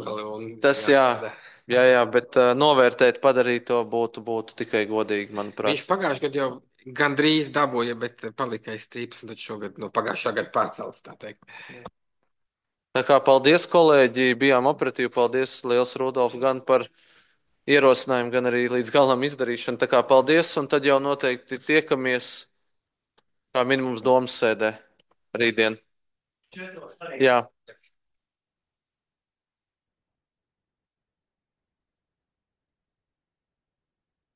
vēl.
tas jā, bet novērtēt, padarīt to būtu tikai godīgi, manuprāt.
Viņš pagājušajā gadā jau gandrīz dabūja, bet palika aiz strīpas, un tad šogad no pagājušā gada pārcelts, tā teikt.
Tā kā paldies, kolēģi, bijām operatīvi. Paldies, liels Rudolf, gan par ierosinājumu, gan arī līdz galam izdarīšanu. Tā kā paldies, un tad jau noteikti tiekamies kā minimums domas sēdē rītdien. Jā.